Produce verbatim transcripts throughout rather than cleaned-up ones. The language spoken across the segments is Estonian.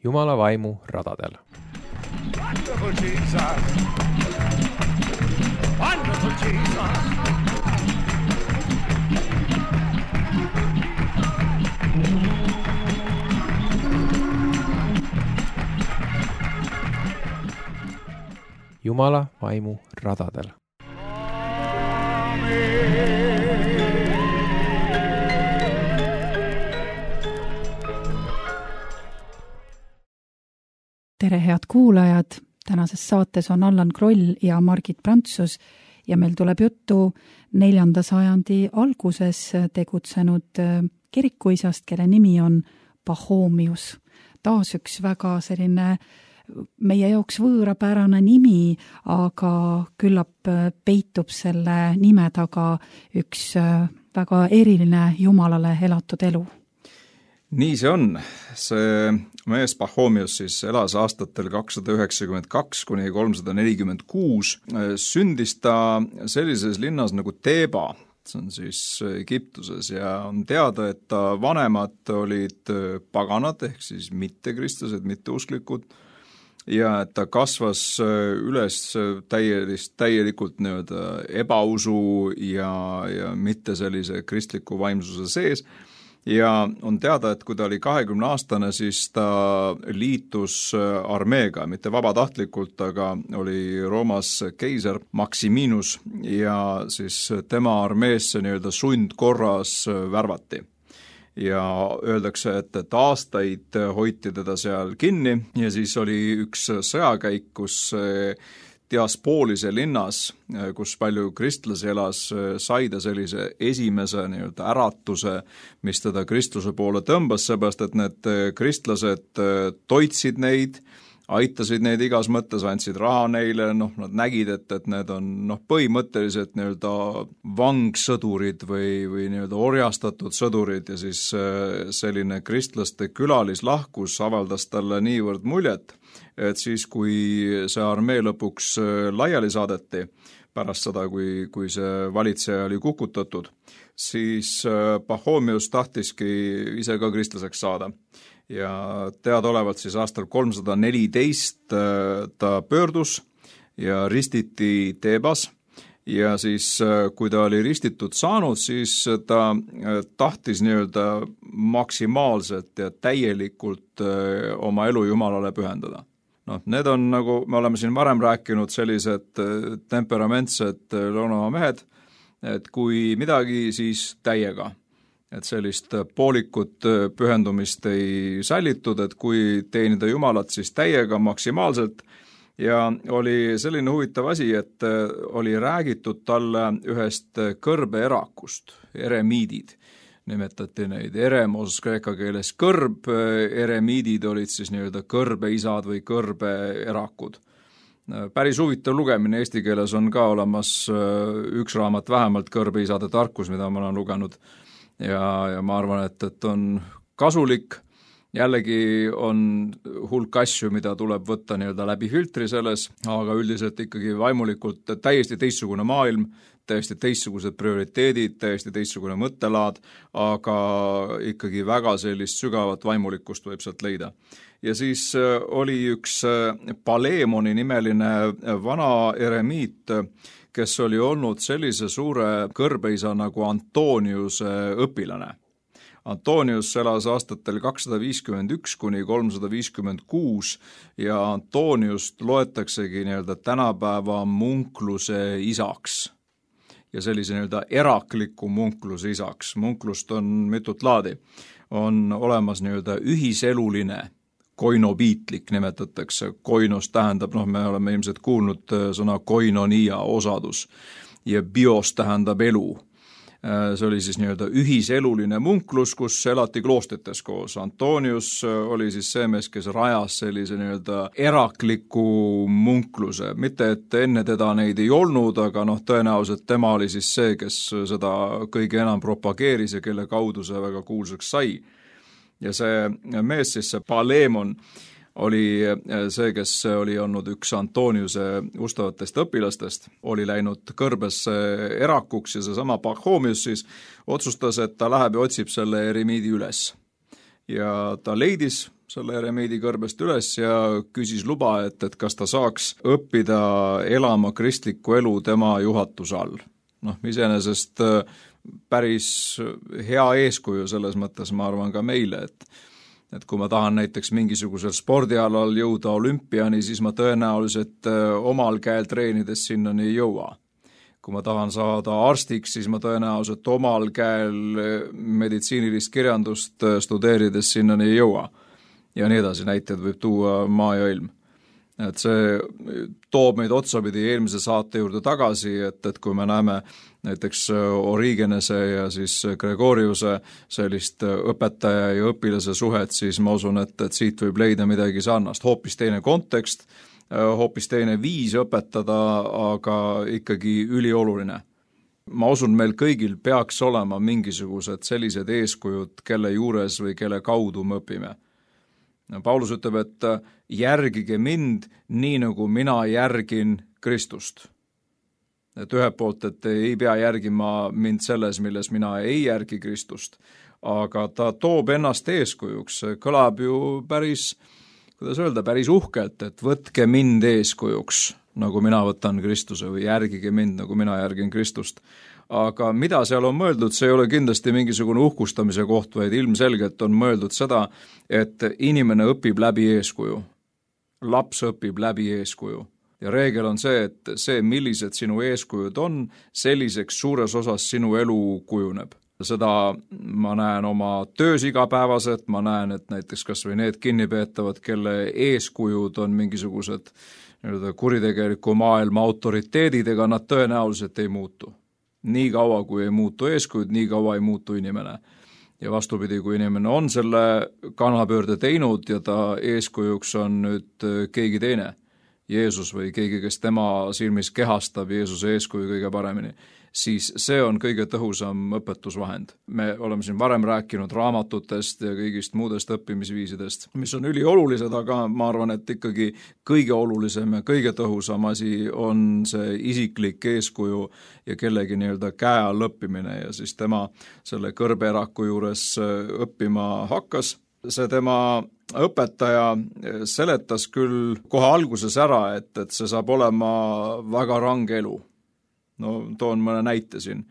Jumala vaimu radadel. Wonderful Jesus! Wonderful Jesus! Jumala vaimu radadel. Tere, head kuulajad! Tänases saates on Allan Kroll ja Margit Prantsus ja meil tuleb juttu neljanda sajandi alguses tegutsenud kirikuisast, kelle nimi on Pachomius. Taas üks väga selline meie jaoks võõrapärane nimi, aga küllap peitub selle nime taga üks väga eriline Jumalale elatud elu. Nii see on. See mees Pachomius siis elas aastatel kakssada üheksakümmend kaks kuni kolmsada nelikümmend kuus. Sündis ta sellises linnas nagu Teba, see on siis Egiptuses, ja on teada, et ta vanemad olid paganad ehk siis mittekristlased, mitteusklikud, ja et ta kasvas üles täielist, täielikult nii-öelda ebausu ja, ja mitte sellise kristliku vaimsuse sees. Ja on teada, et kui ta oli kahekümne aastane, siis ta liitus armeega, mitte vabatahtlikult, aga oli Roomas keiser Maximinus ja siis tema armeesse nii-öelda sundkorras värvati. Ja öeldakse, et, et aastaid hoiti teda seal kinni ja siis oli üks sõjakäik, kus Diaspoolise linnas, kus palju kristlasi elas, sai ta sellise esimese nii-öelda äratuse, mis teda kristluse poole tõmbas, seepärast, et need kristlased toitsid neid, aitasid neid igas mõttes, andsid raha neile, noh, nad nägid, et, et need on noh, põhimõtteliselt nii-öelda vangsõdurid või, või nii-öelda orjastatud sõdurid ja siis selline kristlaste külalislahkus avaldas talle niivõrd muljet, et siis, kui see armee lõpuks laiali saadeti, pärast seda, kui, kui see valitseja oli kukutatud, siis Pachomius tahtiski ise ka kristlaseks saada. Ja teadaolevalt siis aastal kolmsada neliteist ta pöördus ja ristiti Tebas ja siis, kui ta oli ristitud saanud, siis ta tahtis nii-öelda maksimaalselt ja täielikult oma elu Jumalale pühendada. Noh, need on, nagu me oleme siin varem rääkinud, sellised temperamentsed Lõunamaa mehed, et kui midagi, siis täiega. Et sellist poolikut pühendumist ei sallitud, et kui teenida Jumalat, siis täiega maksimaalselt. Ja oli selline huvitav asi, et oli räägitud talle ühest kõrbeerakust, eremiidid. Nimetati neid eremos kreeka keeles kõrb, eremiidid olid siis nii-öelda kõrbeisad või kõrbeerakud. Päris huvitav lugemine, eesti keeles on ka olemas üks raamat vähemalt kõrbeisade tarkus, mida ma olen lugenud. Ja, ja ma arvan, et, et on kasulik. Jällegi on hulk asju, mida tuleb võtta nii-öelda läbi filtri selles, aga üldiselt ikkagi vaimulikult täiesti teistsugune maailm, täiesti teistsugused prioriteedid, täiesti teistsugune mõttelaad, aga ikkagi väga sellist sügavat vaimulikkust võib sealt leida. Ja siis oli üks Paleemoni nimeline vana eremiit, kes oli olnud sellise suure kõrbeisa nagu Antoniuse õpilane. Antonius elas aastatel kakssada viiskümmend üks kuni kolmsada viiskümmend kuus ja Antoniust loetaksegi nii-öelda tänapäeva munkluse isaks ja sellise nii-öelda erakliku munkluse isaks. Munklust on mitut laadi. On olemas nii-öelda ühiseluline, koinobiitlik nimetatakse. Koinos tähendab, noh, me oleme ilmselt kuulnud sõna koinonia osadus ja bios tähendab elu. See oli siis nii-öelda ühiseluline munklus, kus elati kloostrites koos. Antonius oli siis see mees, kes rajas sellise nii-öelda erakliku munkluse. Mitte, et enne teda neid ei olnud, aga noh, tõenäoliselt tema oli siis see, kes seda kõige enam propageeris ja kelle kaudu see väga kuulsaks sai. Ja see mees siis, see Paleemon, oli see, kes oli olnud üks Antoniuse ustavatest õpilastest, oli läinud kõrbesse erakuks ja seesama Pachomius siis otsustas, et ta läheb ja otsib selle eremiidi üles. Ja ta leidis selle eremiidi kõrbest üles ja küsis luba, et, et kas ta saaks õppida elama kristlikku elu tema juhatuse all. Noh, iseenesest päris hea eeskuju selles mõttes, ma arvan ka meile, et et kui ma tahan näiteks mingisugusel spordialal jõuda olümpiani, siis ma tõenäoliselt omal käel treenides sinnani ei jõua. Kui ma tahan saada arstiks, siis ma tõenäoliselt omal käel meditsiinilist kirjandust studeerides sinnani ei jõua. Ja nii edasi näited võib tuua maa ja ilm. Et see toob meid otsapidi eelmise saate juurde tagasi, et, et kui me näeme näiteks Origenese ja siis Gregoriuse sellist õpetaja ja õpilase suhet, siis ma usun, et, et siit võib leida midagi sarnast. Hoopis teine kontekst, hoopis teine viis õpetada, aga ikkagi ülioluline. Ma usun, meil kõigil peaks olema mingisugused sellised eeskujud, kelle juures või kelle kaudu me õpime. Paulus ütleb, et järgige mind nii, nagu mina järgin Kristust. Et ühe poolt, et ei pea järgima mind selles, milles mina ei järgi Kristust, aga ta toob ennast eeskujuks. Kõlab ju päris, kuidas öelda, päris uhkelt, et võtke mind eeskujuks, nagu mina võtan Kristuse, või järgige mind, nagu mina järgin Kristust. Aga mida seal on mõeldud, see ei ole kindlasti mingisugune uhkustamise koht, vaid ilmselgelt on mõeldud seda, et inimene õpib läbi eeskuju. Laps õpib läbi eeskuju. Ja reegel on see, et see, millised sinu eeskujud on, selliseks suures osas sinu elu kujuneb. Seda ma näen oma töös igapäevaselt, ma näen, et näiteks kas või need kinnipeetavad, kelle eeskujud on mingisugused kuritegeliku maailma autoriteedid, ega nad tõenäoliselt ei muutu. Nii kaua, kui ei muutu eeskujud, nii kaua ei muutu inimene. Ja vastupidi, kui inimene on selle kannapöörde teinud ja ta eeskujuks on nüüd keegi teine, Jeesus või keegi, kes tema silmis kehastab Jeesuse eeskuju kõige paremini, siis see on kõige tõhusam õpetusvahend. Me oleme siin varem rääkinud raamatutest ja kõigist muudest õppimisviisidest, mis on üliolulised, aga ma arvan, et ikkagi kõige olulisem ja kõige tõhusam asi on see isiklik eeskuju ja kellegi nii-öelda käe all õppimine ja siis tema selle kõrbeeraku juures õppima hakkas. See tema õpetaja seletas küll kohe alguses ära, et, et see saab olema väga range elu. No toon mõne näite siin,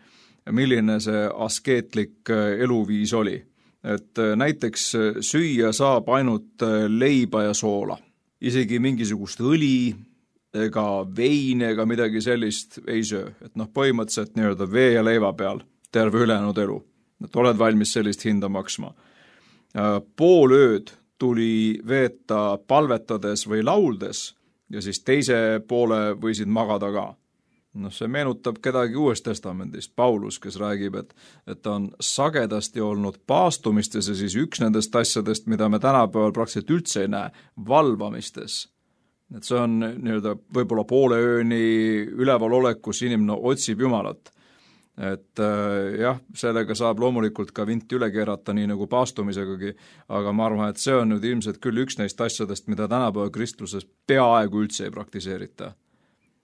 milline see askeetlik eluviis oli. Et näiteks süüa saab ainult leiba ja soola. Isegi mingisugust õli ega vein ega midagi sellist ei söö. Et noh, põhimõtteliselt nii-öelda vee ja leiva peal terve ülejäänud elu. Et oled valmis sellist hinda maksma. Pool ööd tuli veeta palvetades või lauldes ja siis teise poole võisid magada ka. No see meenutab kedagi Uuest testamendist, Paulus, kes räägib, et, et ta on sagedasti olnud paastumistes ja siis üks nendest asjadest, mida me tänapäeval praktiliselt üldse ei näe, valvamistes. Et see on nii-öelda võib-olla poole ööni üleval olekus inimene otsib Jumalat. Et jah, sellega saab loomulikult ka vinti üle keerata, nii nagu paastumisegagi, aga ma arvan, et see on nüüd ilmselt küll üks neist asjadest, mida tänapäeva kristluses peaaegu üldse ei praktiseerita.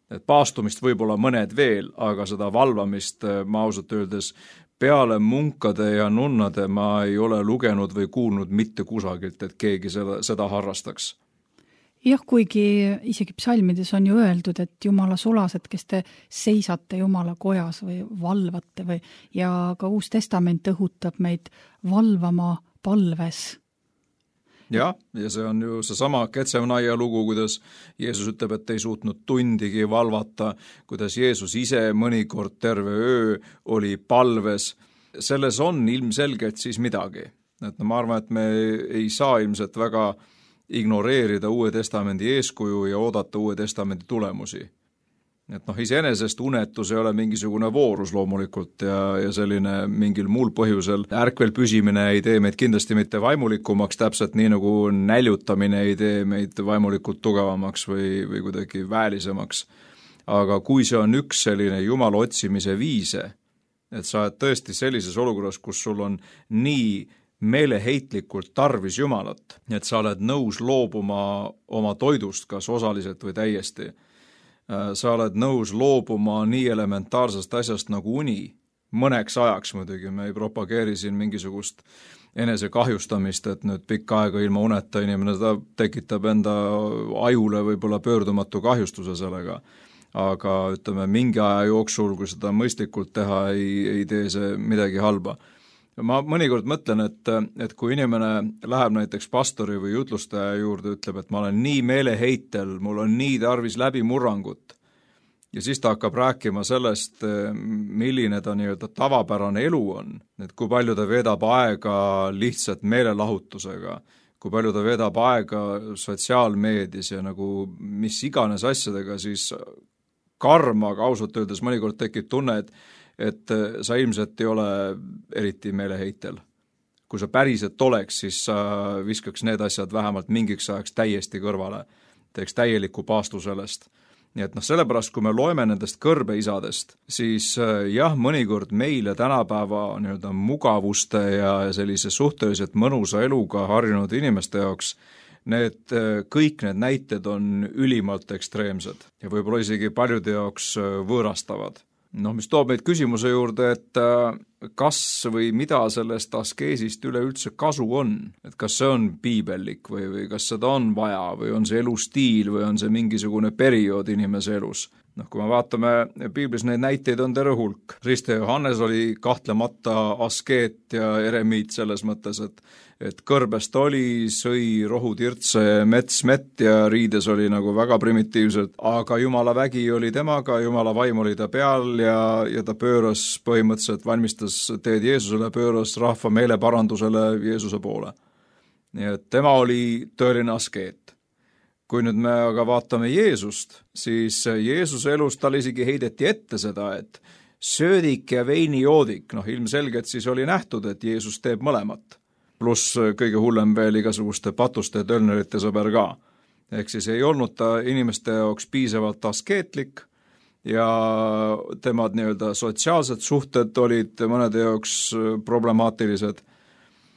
Et paastumist võib-olla mõned veel, aga seda valvamist ma ausalt öeldes peale munkade ja nunnade ma ei ole lugenud või kuulnud mitte kusagilt, et keegi seda, seda harrastaks. Jah, kuigi isegi psalmides on ju öeldud, et Jumala sulased, kes te seisate Jumala kojas või valvate või, ja ka Uus Testament õhutab meid valvama palves. Jah, ja see on ju seesama Ketsemnaia lugu, kuidas Jeesus ütleb, et ei suutnud tundigi valvata, kuidas Jeesus ise mõnikord terve öö oli palves. Selles on ilmselgelt siis midagi. Et no, ma arvan, et me ei saa ilmselt väga ignoreerida Uue Testamendi eeskuju ja oodata Uue Testamendi tulemusi. Et noh, iseenesest unetus ei ole mingisugune voorus loomulikult ja, ja selline mingil muul põhjusel ärkvel püsimine ei tee meid kindlasti mitte vaimulikumaks, täpselt nii nagu näljutamine ei tee meid vaimulikult tugevamaks või, või kuidagi väelisemaks. Aga kui see on üks selline Jumala otsimise viise, et sa oled tõesti sellises olukorras, kus sul on nii meeleheitlikult tarvis Jumalat, et sa oled nõus loobuma oma toidust, kas osaliselt või täiesti. Sa oled nõus loobuma nii elementaarsest asjast nagu uni, mõneks ajaks muidugi, me ei propageeri siin mingisugust enese kahjustamist, et nüüd pikka aega ilma uneta inimene, ta tekitab enda ajule võib-olla pöördumatu kahjustuse sellega. Aga ütleme, mingi aja jooksul, kui seda mõistlikult teha, ei, ei tee see midagi halba. Ma mõnikord mõtlen, et, et kui inimene läheb näiteks pastori või jutlustaja juurde, ütleb, et ma olen nii meeleheitel, mul on nii tarvis läbimurrangut, ja siis ta hakkab rääkima sellest, milline ta nii-öelda tavapärane elu on, et kui palju ta veedab aega lihtsalt meelelahutusega, kui palju ta veedab aega sotsiaalmeedias ja nagu mis iganes asjadega, siis karm, aga ausalt öeldes mõnikord tekib tunne, et, et sa ilmselt ei ole eriti meeleheitel. Kui sa päriselt oleks, siis sa viskaks need asjad vähemalt mingiks ajaks täiesti kõrvale, teeks täieliku paastu sellest. Nii et noh, sellepärast, kui me loeme nendest kõrbeisadest, siis jah, mõnikord meile tänapäeva nii-öelda mugavuste ja sellise suhteliselt mõnusa eluga harjunud inimeste jaoks, need kõik need näited on ülimalt ekstreemsed ja võib-olla isegi paljude jaoks võõrastavad. Noh, mis toob meid küsimuse juurde, et kas või mida sellest askeesist üleüldse kasu on, et kas see on piibellik või, või kas seda on vaja või on see elustiil või on see mingisugune periood inimese elus. Noh, kui me vaatame, piiblis neid näiteid on terve hulk. Riste Johannes oli kahtlemata askeet ja eremiit selles mõttes, et, et kõrbest oli, sõi rohutirtse mets mett ja riides oli nagu väga primitiivsed, aga Jumala vägi oli temaga, Jumala vaim oli ta peal ja, ja ta pööras põhimõtteliselt, valmistas teed Jeesusele, pööras rahva meeleparandusele Jeesuse poole. Nii et tema oli tõeline askeet. Kui nüüd me aga vaatame Jeesust, siis Jeesuse elus tal isegi heideti ette seda, et söödik ja veinijoodik, noh ilmselgelt siis oli nähtud, et Jeesus teeb mõlemat. Pluss kõige hullem veel igasuguste patuste ja tölnerite sõber ka. Ehk siis ei olnud ta inimeste jaoks piisavalt askeetlik ja temad nii-öelda sotsiaalsed suhted olid mõnede jaoks problemaatilised.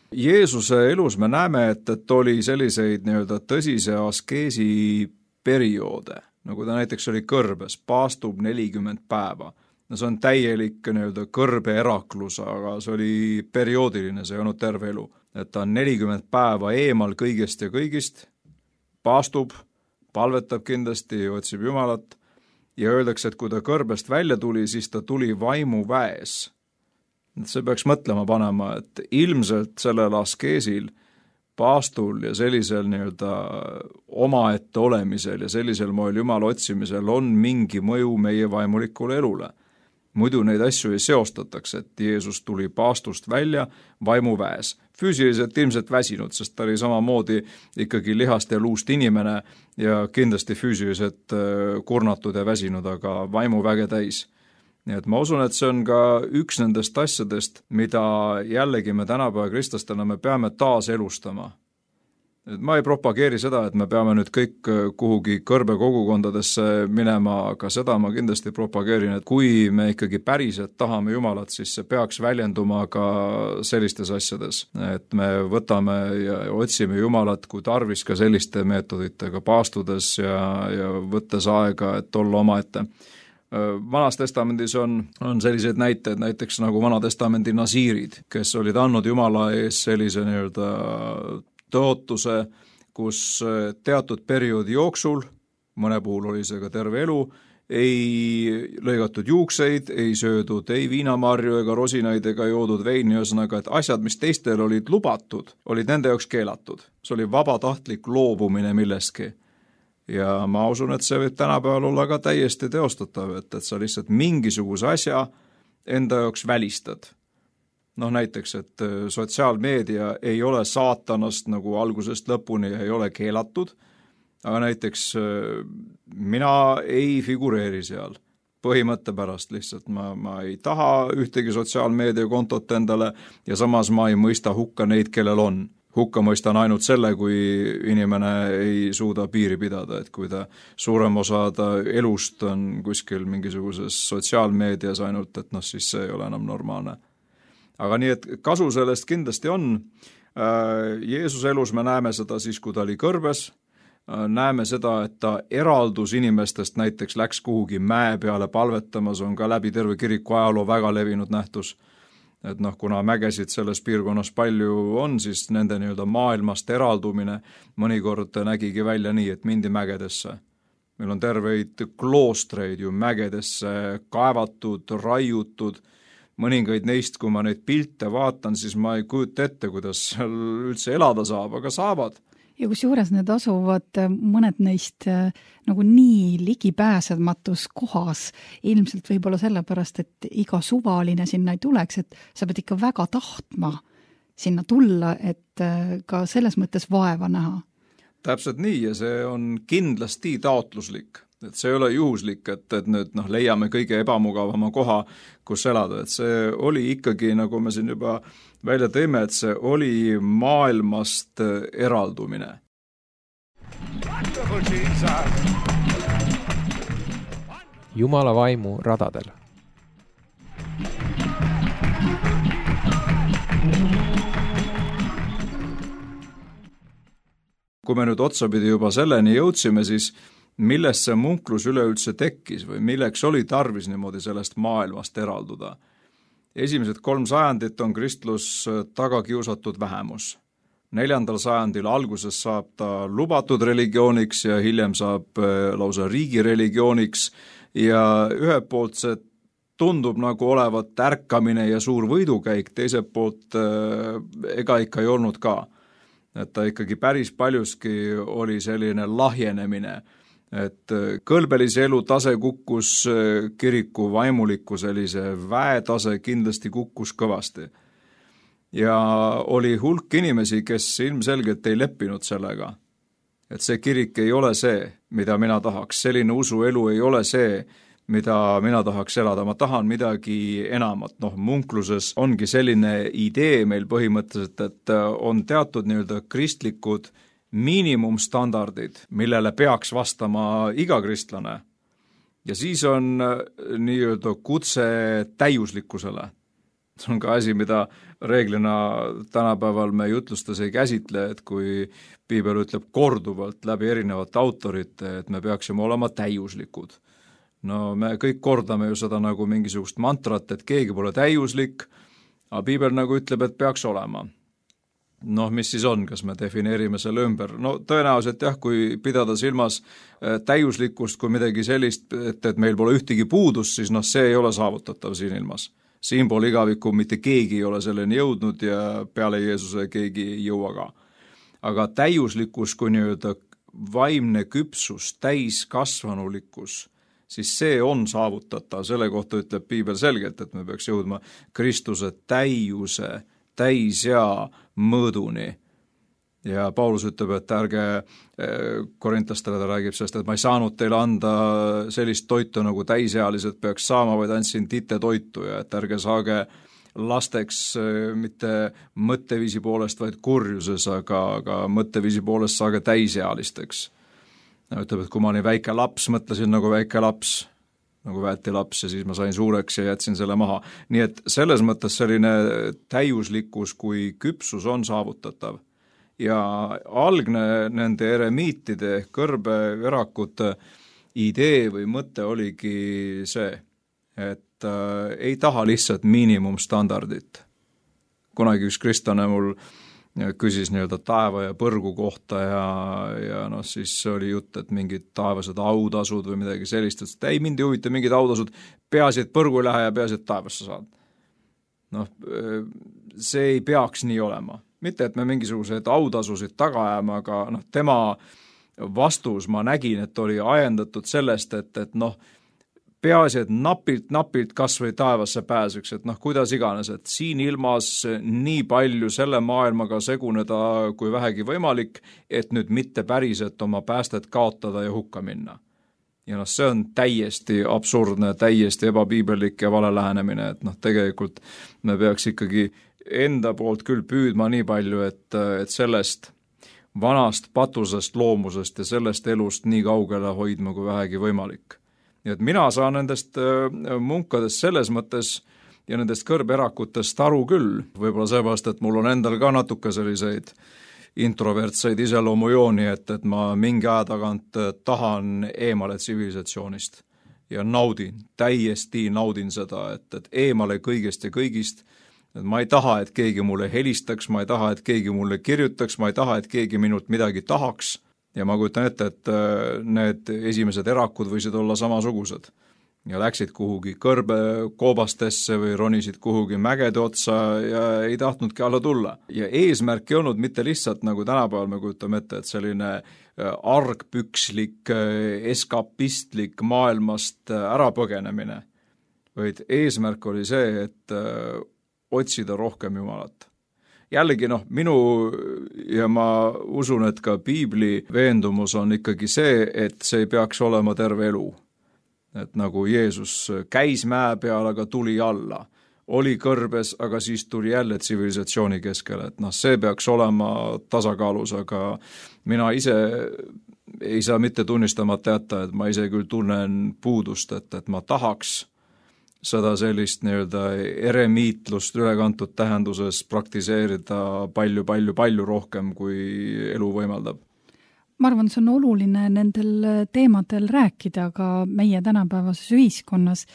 Jeesuse elus me näeme, et, et oli selliseid nii-öelda tõsise askeesi perioode, nagu ta näiteks oli kõrbes, paastub nelikümmend päeva. No see on täielik nii-öelda kõrbe eraklus, aga see oli perioodiline, see ei olnud terve elu. Et ta on nelikümmend päeva eemal kõigest ja kõigist, paastub, palvetab kindlasti, otsib Jumalat ja öeldakse, et kui ta kõrbest välja tuli, siis ta tuli vaimu väes. See peaks mõtlema panema, et ilmselt sellel askeesil, paastul ja sellisel nii-öelda omaette olemisel ja sellisel moel Jumala otsimisel on mingi mõju meie vaimulikule elule. Muidu neid asju ei seostatakse, et Jeesus tuli paastust välja vaimuväes. Füüsiliselt ilmselt väsinud, sest ta oli samamoodi ikkagi lihast ja luust inimene ja kindlasti füüsiliselt kurnatud ja väsinud, aga vaimuväge täis. Nii et ma usun, et see on ka üks nendest asjadest, mida jällegi me tänapäeva kristlastena me peame taas elustama. Et ma ei propageeri seda, et me peame nüüd kõik kuhugi kõrbe kogukondadesse minema, aga seda ma kindlasti propageerin, et kui me ikkagi päriselt tahame Jumalat, siis see peaks väljenduma ka sellistes asjades. Et me võtame ja otsime Jumalat kui tarvis ka selliste meetoditega paastudes ja, ja võttes aega, et olla omaette. Vanas testamendis on, on sellised näited, näiteks nagu Vana testamendi nasiirid, kes olid andnud Jumala ees sellise nii-öelda tõotuse, kus teatud perioodi jooksul, mõne puhul oli see ka terve elu, ei lõigatud juukseid, ei söödud ei viinamarju ega rosinaid ega joodud veini, ühesõnaga, et asjad, mis teistel olid lubatud, olid nende jaoks keelatud. See oli vabatahtlik loobumine millestki. Ja ma usun, et see võib tänapäeval olla ka täiesti teostatav, et, et sa lihtsalt mingisuguse asja enda jaoks välistad. Noh näiteks, et sotsiaalmeedia ei ole saatanast nagu algusest lõpuni ei ole keelatud, aga näiteks mina ei figureeri seal põhimõtte pärast lihtsalt. Ma, ma ei taha ühtegi sotsiaalmeedia kontot endale ja samas ma ei mõista hukka neid, kellel on. Hukka mõistan ainult selle, kui inimene ei suuda piiri pidada, et kui ta suurem osa ta elust on kuskil mingisuguses sotsiaalmeedias ainult, et noh, siis see ei ole enam normaalne. Aga nii, et kasu sellest kindlasti on. Jeesuse elus me näeme seda siis, kui ta oli kõrbes, näeme seda, et ta eraldus inimestest, näiteks läks kuhugi mäe peale palvetamas, on ka läbi terve kiriku ajaloo väga levinud nähtus. et noh, kuna mägesid selles piirkonnas palju on, siis nende nii-öelda maailmast eraldumine mõnikord nägigi välja nii, et mindi mägedesse. Meil on terveid kloostreid ju mägedesse kaevatud, raiutud, mõningaid neist, kui ma neid pilte vaatan, siis ma ei kujuta ette, kuidas seal üldse elada saab, aga saavad. Ja kus juures need asuvad mõned neist nagu nii ligipääsematus kohas, ilmselt võib-olla sellepärast, et iga suvaline sinna ei tuleks, et sa pead ikka väga tahtma sinna tulla, et ka selles mõttes vaeva näha. Täpselt nii ja see on kindlasti taotluslik. Et see ei ole juhuslik, et, et nüüd noh, leiame kõige ebamugavama koha, kus elada. Et see oli ikkagi, nagu me siin juba välja teeme, et see oli maailmast eraldumine. Jumala vaimu radadel. Kui me nüüd otsapidi juba selleni jõudsime, siis millest see munklus üleüldse tekkis või milleks oli tarvis niimoodi sellest maailmast eralduda. Esimesed kolm sajandit on kristlus tagakiusatud vähemus. Neljandal sajandil alguses saab ta lubatud religiooniks ja hiljem saab lausa riigireligiooniks ja ühelt poolt see tundub nagu olevat ärkamine ja suur võidukäik, teiselt poolt ega ikka ei olnud ka. Et ta ikkagi päris paljuski oli selline lahjenemine, et kõlbelise elu tase kukkus, kiriku vaimuliku sellise väetase kindlasti kukkus kõvasti. Ja oli hulk inimesi, kes ilmselgelt ei leppinud sellega, et see kirik ei ole see, mida mina tahaks, selline usuelu ei ole see, mida mina tahaks elada, ma tahan midagi enamat. Noh, munkluses ongi selline idee meil põhimõtteliselt, et on teatud nii-öelda kristlikud miinimumstandardid, millele peaks vastama iga kristlane. Ja siis on nii-öelda kutse täiuslikkusele. See on ka asi, mida reeglina tänapäeval me jutlustes ei käsitle, et kui Piibel ütleb korduvalt läbi erinevate autorite, et me peaksime olema täiuslikud. No me kõik kordame ju seda nagu mingisugust mantrat, et keegi pole täiuslik, aga Piibel nagu ütleb, et peaks olema. Noh, mis siis on, kas me defineerime selle ümber? No tõenäoliselt jah, kui pidada silmas täiuslikkust kui midagi sellist, et, et meil pole ühtegi puudust, siis noh, see ei ole saavutatav siin ilmas. Siin pool igavikku mitte keegi ei ole selleni jõudnud ja peale Jeesuse keegi ei jõua ka. Aga täiuslikkus kui nii-öelda vaimne küpsus, täiskasvanulikkus, siis see on saavutatav. Selle kohta ütleb Piibel selgelt, et me peaks jõudma Kristuse täiuse, täis ja mõõduni. Ja Paulus ütleb, et ärge korintlastele ta räägib sellest, et ma ei saanud teile anda sellist toitu, nagu täisealised peaks saama, vaid andsin tite toitu ja et ärge saage lasteks mitte mõtteviisi poolest, vaid kurjuses, aga, aga mõtteviisi poolest saage täisealisteks. Ütleb, et kui ma olin väike laps, mõtlesin nagu väike laps, nagu väeti laps ja siis ma sain suureks ja jätsin selle maha. Nii et selles mõttes selline täiuslikkus kui küpsus on saavutatav. Ja algne nende eremiitide, kõrbeverakute idee või mõte oligi see, et äh, ei taha lihtsalt miinimumstandardit. Kunagi üks kristlane mul küsis nii-öelda taeva ja põrgu kohta ja, ja noh, siis oli jutt, et mingid taevased autasud või midagi sellist, et ei, mind ei huvita mingid autasud, peaasi, et põrgu ei lähe ja peaasi, et taevasse saad. Noh, see ei peaks nii olema. Mitte, et me mingisugused autasusid taga ajame, aga noh, tema vastus ma nägin, et oli ajendatud sellest, et, et noh, peaasi, et napilt, napilt kas või taevasse pääseks, et noh, kuidas iganes, et siin ilmas nii palju selle maailmaga seguneda kui vähegi võimalik, et nüüd mitte päriselt oma päästet kaotada ja hukka minna. Ja noh, see on täiesti absurdne, täiesti ebapiibellik ja vale lähenemine, et noh, tegelikult me peaks ikkagi enda poolt küll püüdma nii palju, et, et sellest vanast patusest loomusest ja sellest elust nii kaugele hoidma kui vähegi võimalik. Nii et mina saan nendest munkadest selles mõttes ja nendest kõrberakutest aru küll, võib-olla seepärast, et mul on endal ka natuke selliseid introvertseid iseloomujooni, et, et ma mingi aja tagant tahan eemale tsivilisatsioonist ja naudin, täiesti naudin seda, et, et eemale kõigest ja kõigist et ma ei taha, et keegi mulle helistaks, ma ei taha, et keegi mulle kirjutaks, ma ei taha, et keegi minult midagi tahaks ja ma kujutan ette, et need esimesed erakud võisid olla samasugused ja läksid kuhugi kõrbekoobastesse või ronisid kuhugi mägede otsa ja ei tahtnudki alla tulla. Ja eesmärk ei olnud mitte lihtsalt nagu tänapäeval me kujutame ette, et selline argpükslik, eskapistlik maailmast ärapõgenemine, vaid eesmärk oli see, et otsida rohkem Jumalat. Jällegi noh, minu ja ma usun, et ka piibli veendumus on ikkagi see, et see ei peaks olema terve elu. Et nagu Jeesus käis mäe peal, aga tuli alla, oli kõrbes, aga siis tuli jälle tsivilisatsiooni keskele, et noh, see peaks olema tasakaalus, aga mina ise ei saa mitte tunnistamata jätta, et ma ise küll tunnen puudust, et, et ma tahaks seda sellist nii-öelda eremiitlust ülekantud tähenduses praktiseerida palju, palju, palju rohkem, kui elu võimaldab. Ma arvan, see on oluline nendel teemadel rääkida ka meie tänapäevases ühiskonnas,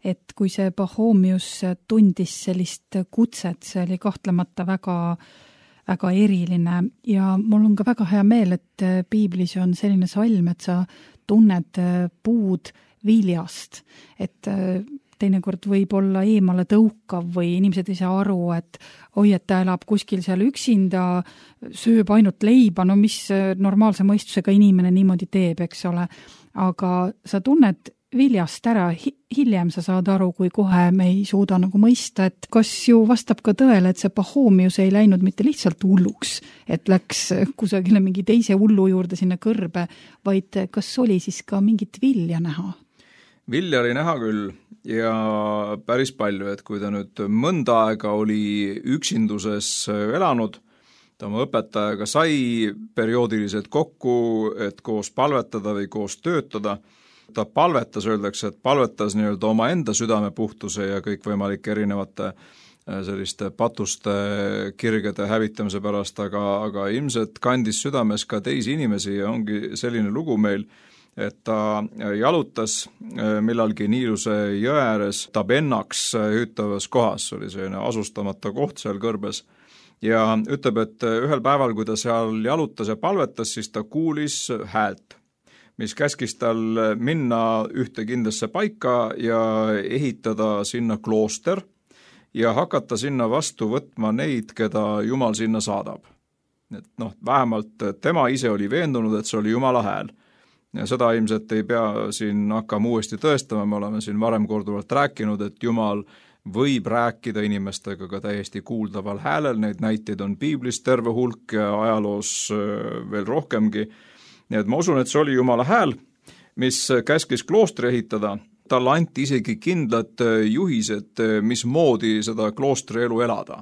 et kui see Pachomius tundis sellist kutset, see oli kahtlemata väga, väga eriline ja mul on ka väga hea meel, et piiblis on selline salm, et sa tunned puud viljast, et teinekord võib olla eemale tõukav või inimesed ei saa aru, et oi, et ta elab kuskil seal üksinda, sööb ainult leiba, no mis normaalse mõistusega inimene niimoodi teeb, eks ole. Aga sa tunned viljast ära, hiljem sa saad aru, kui kohe me ei suuda nagu mõista, et kas ju vastab ka tõele, et see Pachomius ei läinud mitte lihtsalt hulluks, et läks kusagile mingi teise hullu juurde sinna kõrbe, vaid kas oli siis ka mingit vilja näha? Vilja oli näha küll ja päris palju, et kui ta nüüd mõnda aega oli üksinduses elanud, ta oma õpetajaga sai perioodiliselt kokku, et koos palvetada või koos töötada. Ta palvetas, öeldakse, et palvetas nii-öelda oma enda südame puhtuse ja kõikvõimalike erinevate selliste patuste kirgede hävitamise pärast, aga, aga ilmselt kandis südames ka teisi inimesi ja ongi selline lugu meil, et ta jalutas millalgi Niiluse jõe ääres Tabennaks hüütavas kohas, oli selline asustamata koht seal kõrbes, ja ütleb, et ühel päeval, kui ta seal jalutas ja palvetas, siis ta kuulis häält, mis käskis tal minna ühte kindlasse paika ja ehitada sinna klooster ja hakata sinna vastu võtma neid, keda Jumal sinna saadab. Et noh, vähemalt tema ise oli veendunud, et see oli Jumala hääl. Ja seda ilmselt ei pea siin hakkama uuesti tõestama, me oleme siin varem korduvalt rääkinud, et Jumal võib rääkida inimestega ka täiesti kuuldaval häälel, neid näiteid on piiblis terve hulk ja ajaloos veel rohkemgi. Nii et ma usun, et see oli Jumala hääl, mis käskis kloostri ehitada. Talle anti isegi kindlad juhised, mis moodi seda kloostri elu elada.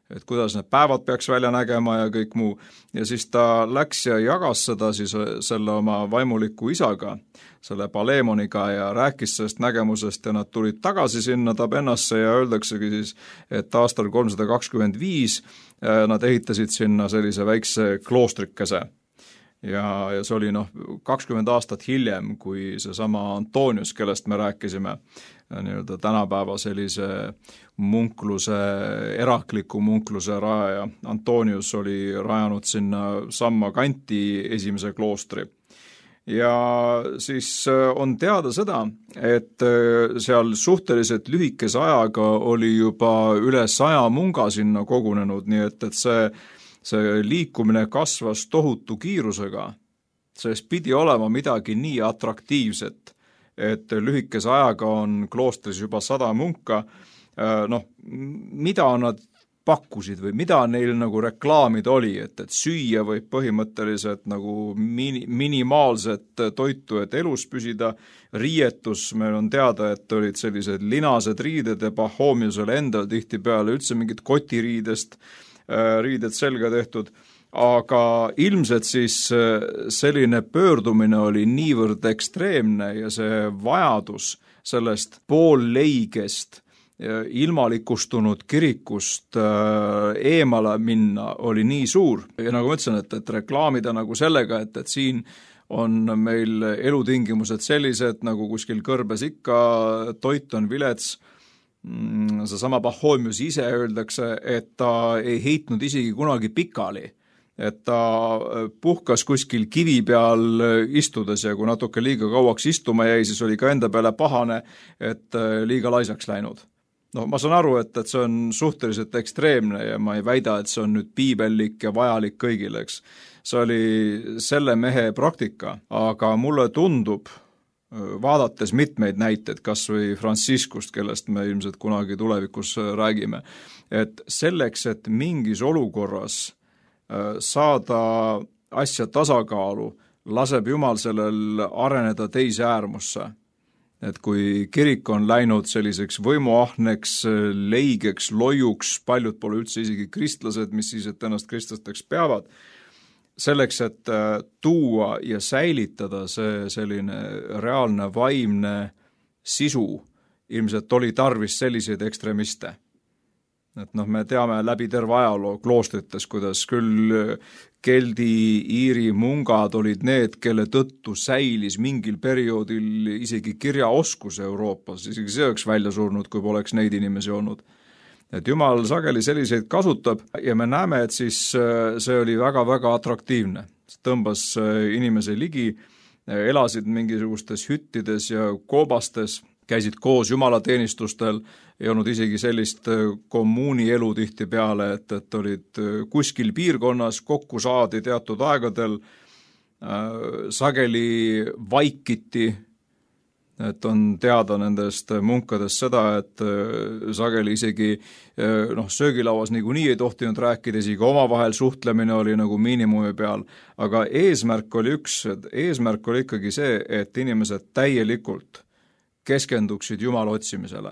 Et kuidas need päevad peaks välja nägema ja kõik muu. Ja siis ta läks ja jagas seda siis selle oma vaimuliku isaga, selle Palemoniga ja rääkis sellest nägemusest ja nad tulid tagasi sinna Tabennasse ja öeldaksegi siis, et aastal kolmsada kakskümmend viis nad ehitasid sinna sellise väikse kloostrikese. Ja, ja see oli noh, kakskümmend aastat hiljem, kui see sama Antonius, kellest me rääkisime, nii-öelda tänapäeva sellise munkluse, erakliku munkluse rajaja. Antonius oli rajanud sinna samma kanti esimese kloostri. Ja siis on teada seda, et seal suhteliselt lühikese ajaga oli juba üle saja munga sinna kogunenud, nii et, et see see liikumine kasvas tohutu kiirusega, sest pidi olema midagi nii atraktiivset, et lühikese ajaga on kloostris juba sada munka, noh, mida nad pakkusid või mida neil nagu reklaamid oli, et, et süüa või põhimõtteliselt nagu mini, minimaalset toitu, et elus püsida, riietus, meil on teada, et olid sellised linased riided ja Pachomiusel endal tihtipeale üldse mingid kotiriidest, riided selga tehtud, aga ilmselt siis selline pöördumine oli niivõrd ekstreemne ja see vajadus sellest poolleigest ilmalikustunud kirikust eemale minna oli nii suur. Ja nagu ma ütlesin, et, et reklaamida nagu sellega, et, et siin on meil elutingimused sellised, nagu kuskil kõrbes ikka, toit on vilets, seesama Pachomius ise öeldakse, et ta ei heitnud isegi kunagi pikali, et ta puhkas kuskil kivi peal istudes ja kui natuke liiga kauaks istuma jäi, siis oli ka enda peale pahane, et liiga laisaks läinud. No ma saan aru, et, et see on suhteliselt ekstreemne ja ma ei väida, et see on nüüd piibellik ja vajalik kõigile, eks. See oli selle mehe praktika, aga mulle tundub, vaadates mitmeid näiteid, kas või Franciscust, kellest me ilmselt kunagi tulevikus räägime, et selleks, et mingis olukorras saada asja tasakaalu, laseb Jumal sellel areneda teise äärmusse. Et kui kirik on läinud selliseks võimuahneks, leigeks, loiuks, paljud pole üldse isegi kristlased, mis siis, et ennast kristlasteks peavad, selleks, et tuua ja säilitada see selline reaalne vaimne sisu, ilmselt oli tarvis selliseid ekstremiste. Et noh, me teame läbi terve ajaloo kloostrites, kuidas küll keldi, iiri mungad olid need, kelle tõttu säilis mingil perioodil isegi kirjaoskus Euroopas, isegi see oleks välja surnud, kui poleks neid inimesi olnud. Et Jumal sageli selliseid kasutab ja me näeme, et siis see oli väga-väga atraktiivne. Tõmbas inimese ligi, elasid mingisugustes hüttides ja koobastes, käisid koos jumalateenistustel, ei olnud isegi sellist kommuunielu tihti peale, et, et olid kuskil piirkonnas, kokku saadi teatud aegadel, sageli vaikiti, et on teada nendest munkadest seda, et sageli isegi noh, söögilauas niikuinii ei tohtinud rääkida, isegi omavahel suhtlemine oli nagu miinimumi peal, aga eesmärk oli üks, eesmärk oli ikkagi see, et inimesed täielikult keskenduksid Jumala otsimisele.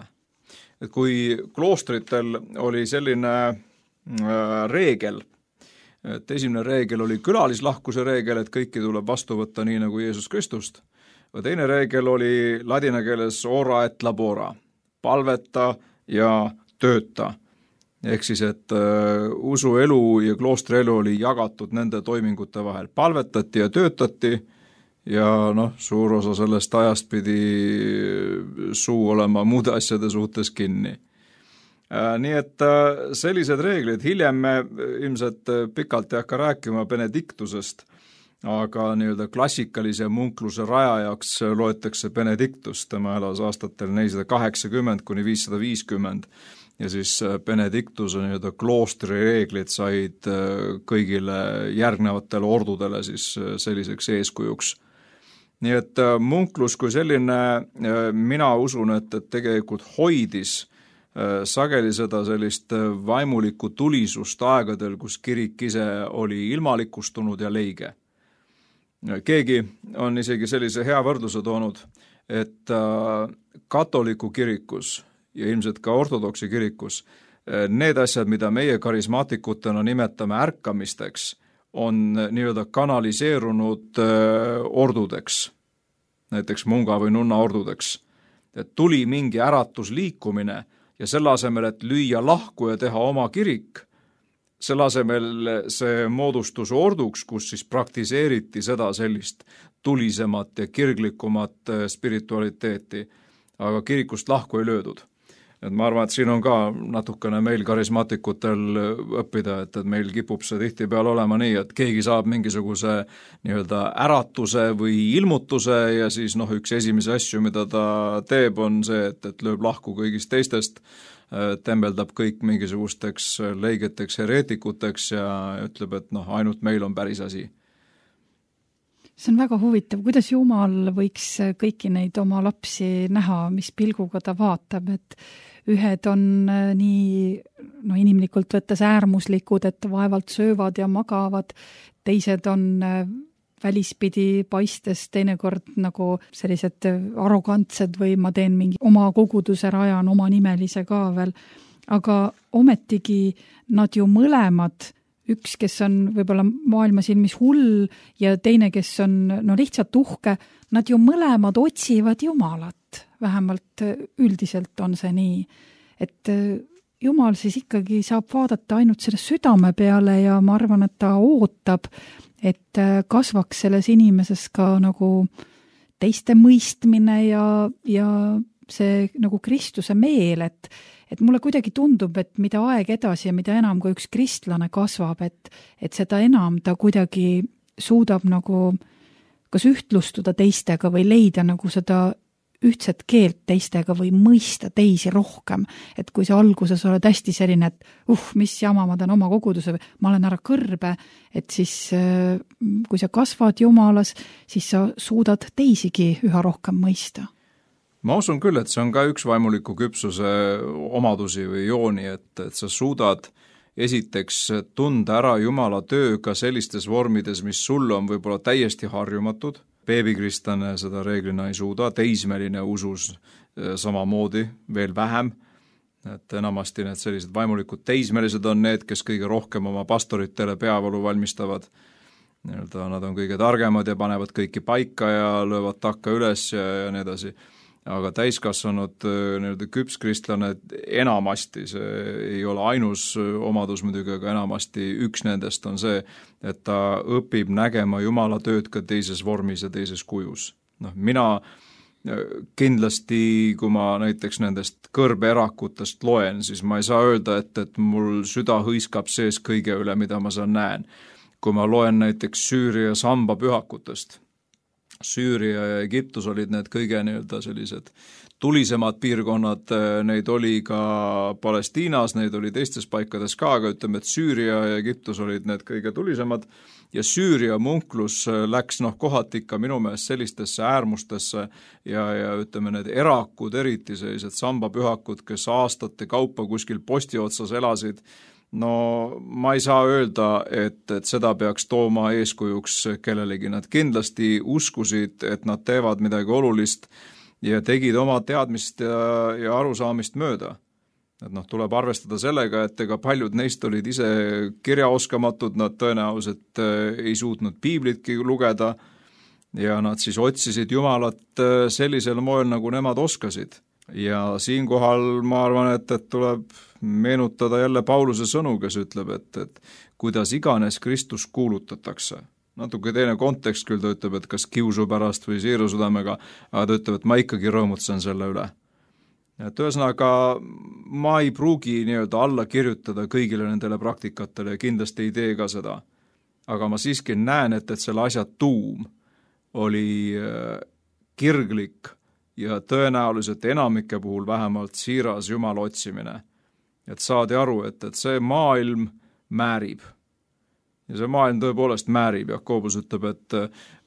Et kui kloostritel oli selline reegel, et esimene reegel oli külalislahkuse reegel, et kõiki tuleb vastu võtta nii nagu Jeesus Kristust, teine reegel oli ladina keeles ora et labora, palveta ja tööta. Ehk siis, et usuelu ja kloostrielu oli jagatud nende toimingute vahel. Palvetati ja töötati ja noh, suur osa sellest ajast pidi suu olema muude asjade suhtes kinni. Nii et sellised reeglid, hiljem me ilmselt pikalt ei hakka rääkima Benediktusest, aga nii-öelda klassikalise munkluse rajajaks loetakse Benediktus, tema elas aastatel nelisada kaheksakümmend kuni viissada viiskümmend ja siis Benediktuse nii-öelda kloostri reeglid said kõigile järgnevatele ordudele siis selliseks eeskujuks. Nii et munklus kui selline, mina usun, et, et tegelikult hoidis sageli seda sellist vaimulikku tulisust aegadel, kus kirik ise oli ilmalikustunud ja leige. Keegi on isegi sellise hea võrdluse toonud, et katoliku kirikus ja ilmselt ka ortodoksi kirikus need asjad, mida meie karismaatikutena nimetame ärkamisteks, on nii-öelda kanaliseerunud ordudeks, näiteks munga või nunna ordudeks. Et tuli mingi äratusliikumine ja selle asemel, et lüüa lahku ja teha oma kirik, selle asemel see moodustus orduks, kus siis praktiseeriti seda sellist tulisemat ja kirglikumat spiritualiteeti, aga kirikust lahku ei löödud. Et ma arvan, et siin on ka natukene meil karismaatikutel õppida, et, et meil kipub see tihtipeale olema nii, et keegi saab mingisuguse nii-öelda äratuse või ilmutuse ja siis noh, üks esimese asju, mida ta teeb, on see, et, et lööb lahku kõigist teistest, tembeldab kõik mingisugusteks leigeteks, hereetikuteks ja ütleb, et noh, ainult meil on päris asi. See on väga huvitav, kuidas Jumal võiks kõiki neid oma lapsi näha, mis pilguga ta vaatab, et ühed on nii no, inimlikult võttes äärmuslikud, et vaevalt söövad ja magavad, teised on välispidi paistes teinekord nagu sellised arrogantsed või ma teen mingi oma koguduse rajan, oma nimelise ka veel, aga ometigi nad ju mõlemad, üks, kes on võib-olla maailma silmis hull ja teine, kes on no lihtsalt uhke, nad ju mõlemad otsivad Jumalat. Vähemalt üldiselt on see nii, et Jumal siis ikkagi saab vaadata ainult selle südame peale ja ma arvan, et ta ootab, et kasvaks selles inimeses ka nagu teiste mõistmine ja, ja see nagu Kristuse meel, et, et mulle kuidagi tundub, et mida aeg edasi ja mida enam, kui üks kristlane kasvab, et, et seda enam ta kuidagi suudab nagu kas ühtlustuda teistega või leida nagu seda ühtset keelt teistega või mõista teisi rohkem. Et kui sa alguses oled hästi selline, et uh, mis jama, ma teen oma koguduse, ma olen ära kõrbe, et siis kui sa kasvad Jumalas, siis sa suudad teisigi üha rohkem mõista. Ma usun küll, et see on ka üks vaimuliku küpsuse omadusi või jooni, et, et sa suudad esiteks tunda ära Jumala töö ka sellistes vormides, mis sul on võib-olla täiesti harjumatud. Beebikristlane seda reeglina ei suuda, teismeline usus samamoodi, veel vähem. Et enamasti need sellised vaimulikud teismelised on need, kes kõige rohkem oma pastoritele peavalu valmistavad. Nad on kõige targemad ja panevad kõiki paika ja löövad takka üles ja, ja nii edasi. Aga täiskasvanud küpskristlane enamasti, see ei ole ainus omadus muidugi, aga enamasti üks nendest on see, et ta õpib nägema Jumala tööd ka teises vormis ja teises kujus. No, mina kindlasti, kui ma näiteks nendest kõrbeerakutest loen, siis ma ei saa öelda, et, et mul süda hõiskab sees kõige üle, mida ma seal näen. Kui ma loen näiteks Süüria samba pühakutest, Süüria ja Egiptus olid need kõige nii-öelda sellised tulisemad piirkonnad, neid oli ka Palestiinas, neid oli teistes paikades ka, aga ütleme, et Süüria ja Egiptus olid need kõige tulisemad ja Süüria munklus läks noh kohati ikka minu meelest sellistesse äärmustesse ja, ja ütleme, need erakud, eriti sellised sambapühakud, kes aastate kaupa kuskil posti otsas elasid, no ma ei saa öelda, et, et seda peaks tooma eeskujuks kellelegi. Nad kindlasti uskusid, et nad teevad midagi olulist ja tegid oma teadmist ja, ja arusaamist mööda. Et noh, tuleb arvestada sellega, et ega paljud neist olid ise kirjaoskamatud, nad tõenäoliselt ei suutnud piiblitki lugeda ja nad siis otsisid Jumalat sellisel moel, nagu nemad oskasid. Ja siinkohal ma arvan, et, et tuleb meenutada jälle Pauluse sõnu, kes ütleb, et, et kuidas iganes Kristus kuulutatakse. Natuke teine kontekst küll, ta ütleb, et kas kiusu pärast või siiru südamega, aga ta ütleb, et ma ikkagi rõõmutsen selle üle. Et ühesõnaga, ma ei pruugi nii-öelda alla kirjutada kõigile nendele praktikatele ja kindlasti ei tee ka seda. Aga ma siiski näen, et, et selle asja tuum oli kirglik ja tõenäoliselt enamike puhul vähemalt siiras Jumala otsimine. Et saadi aru, et, et see maailm määrib. Ja see maailm tõepoolest määrib. Jakobus ütleb, et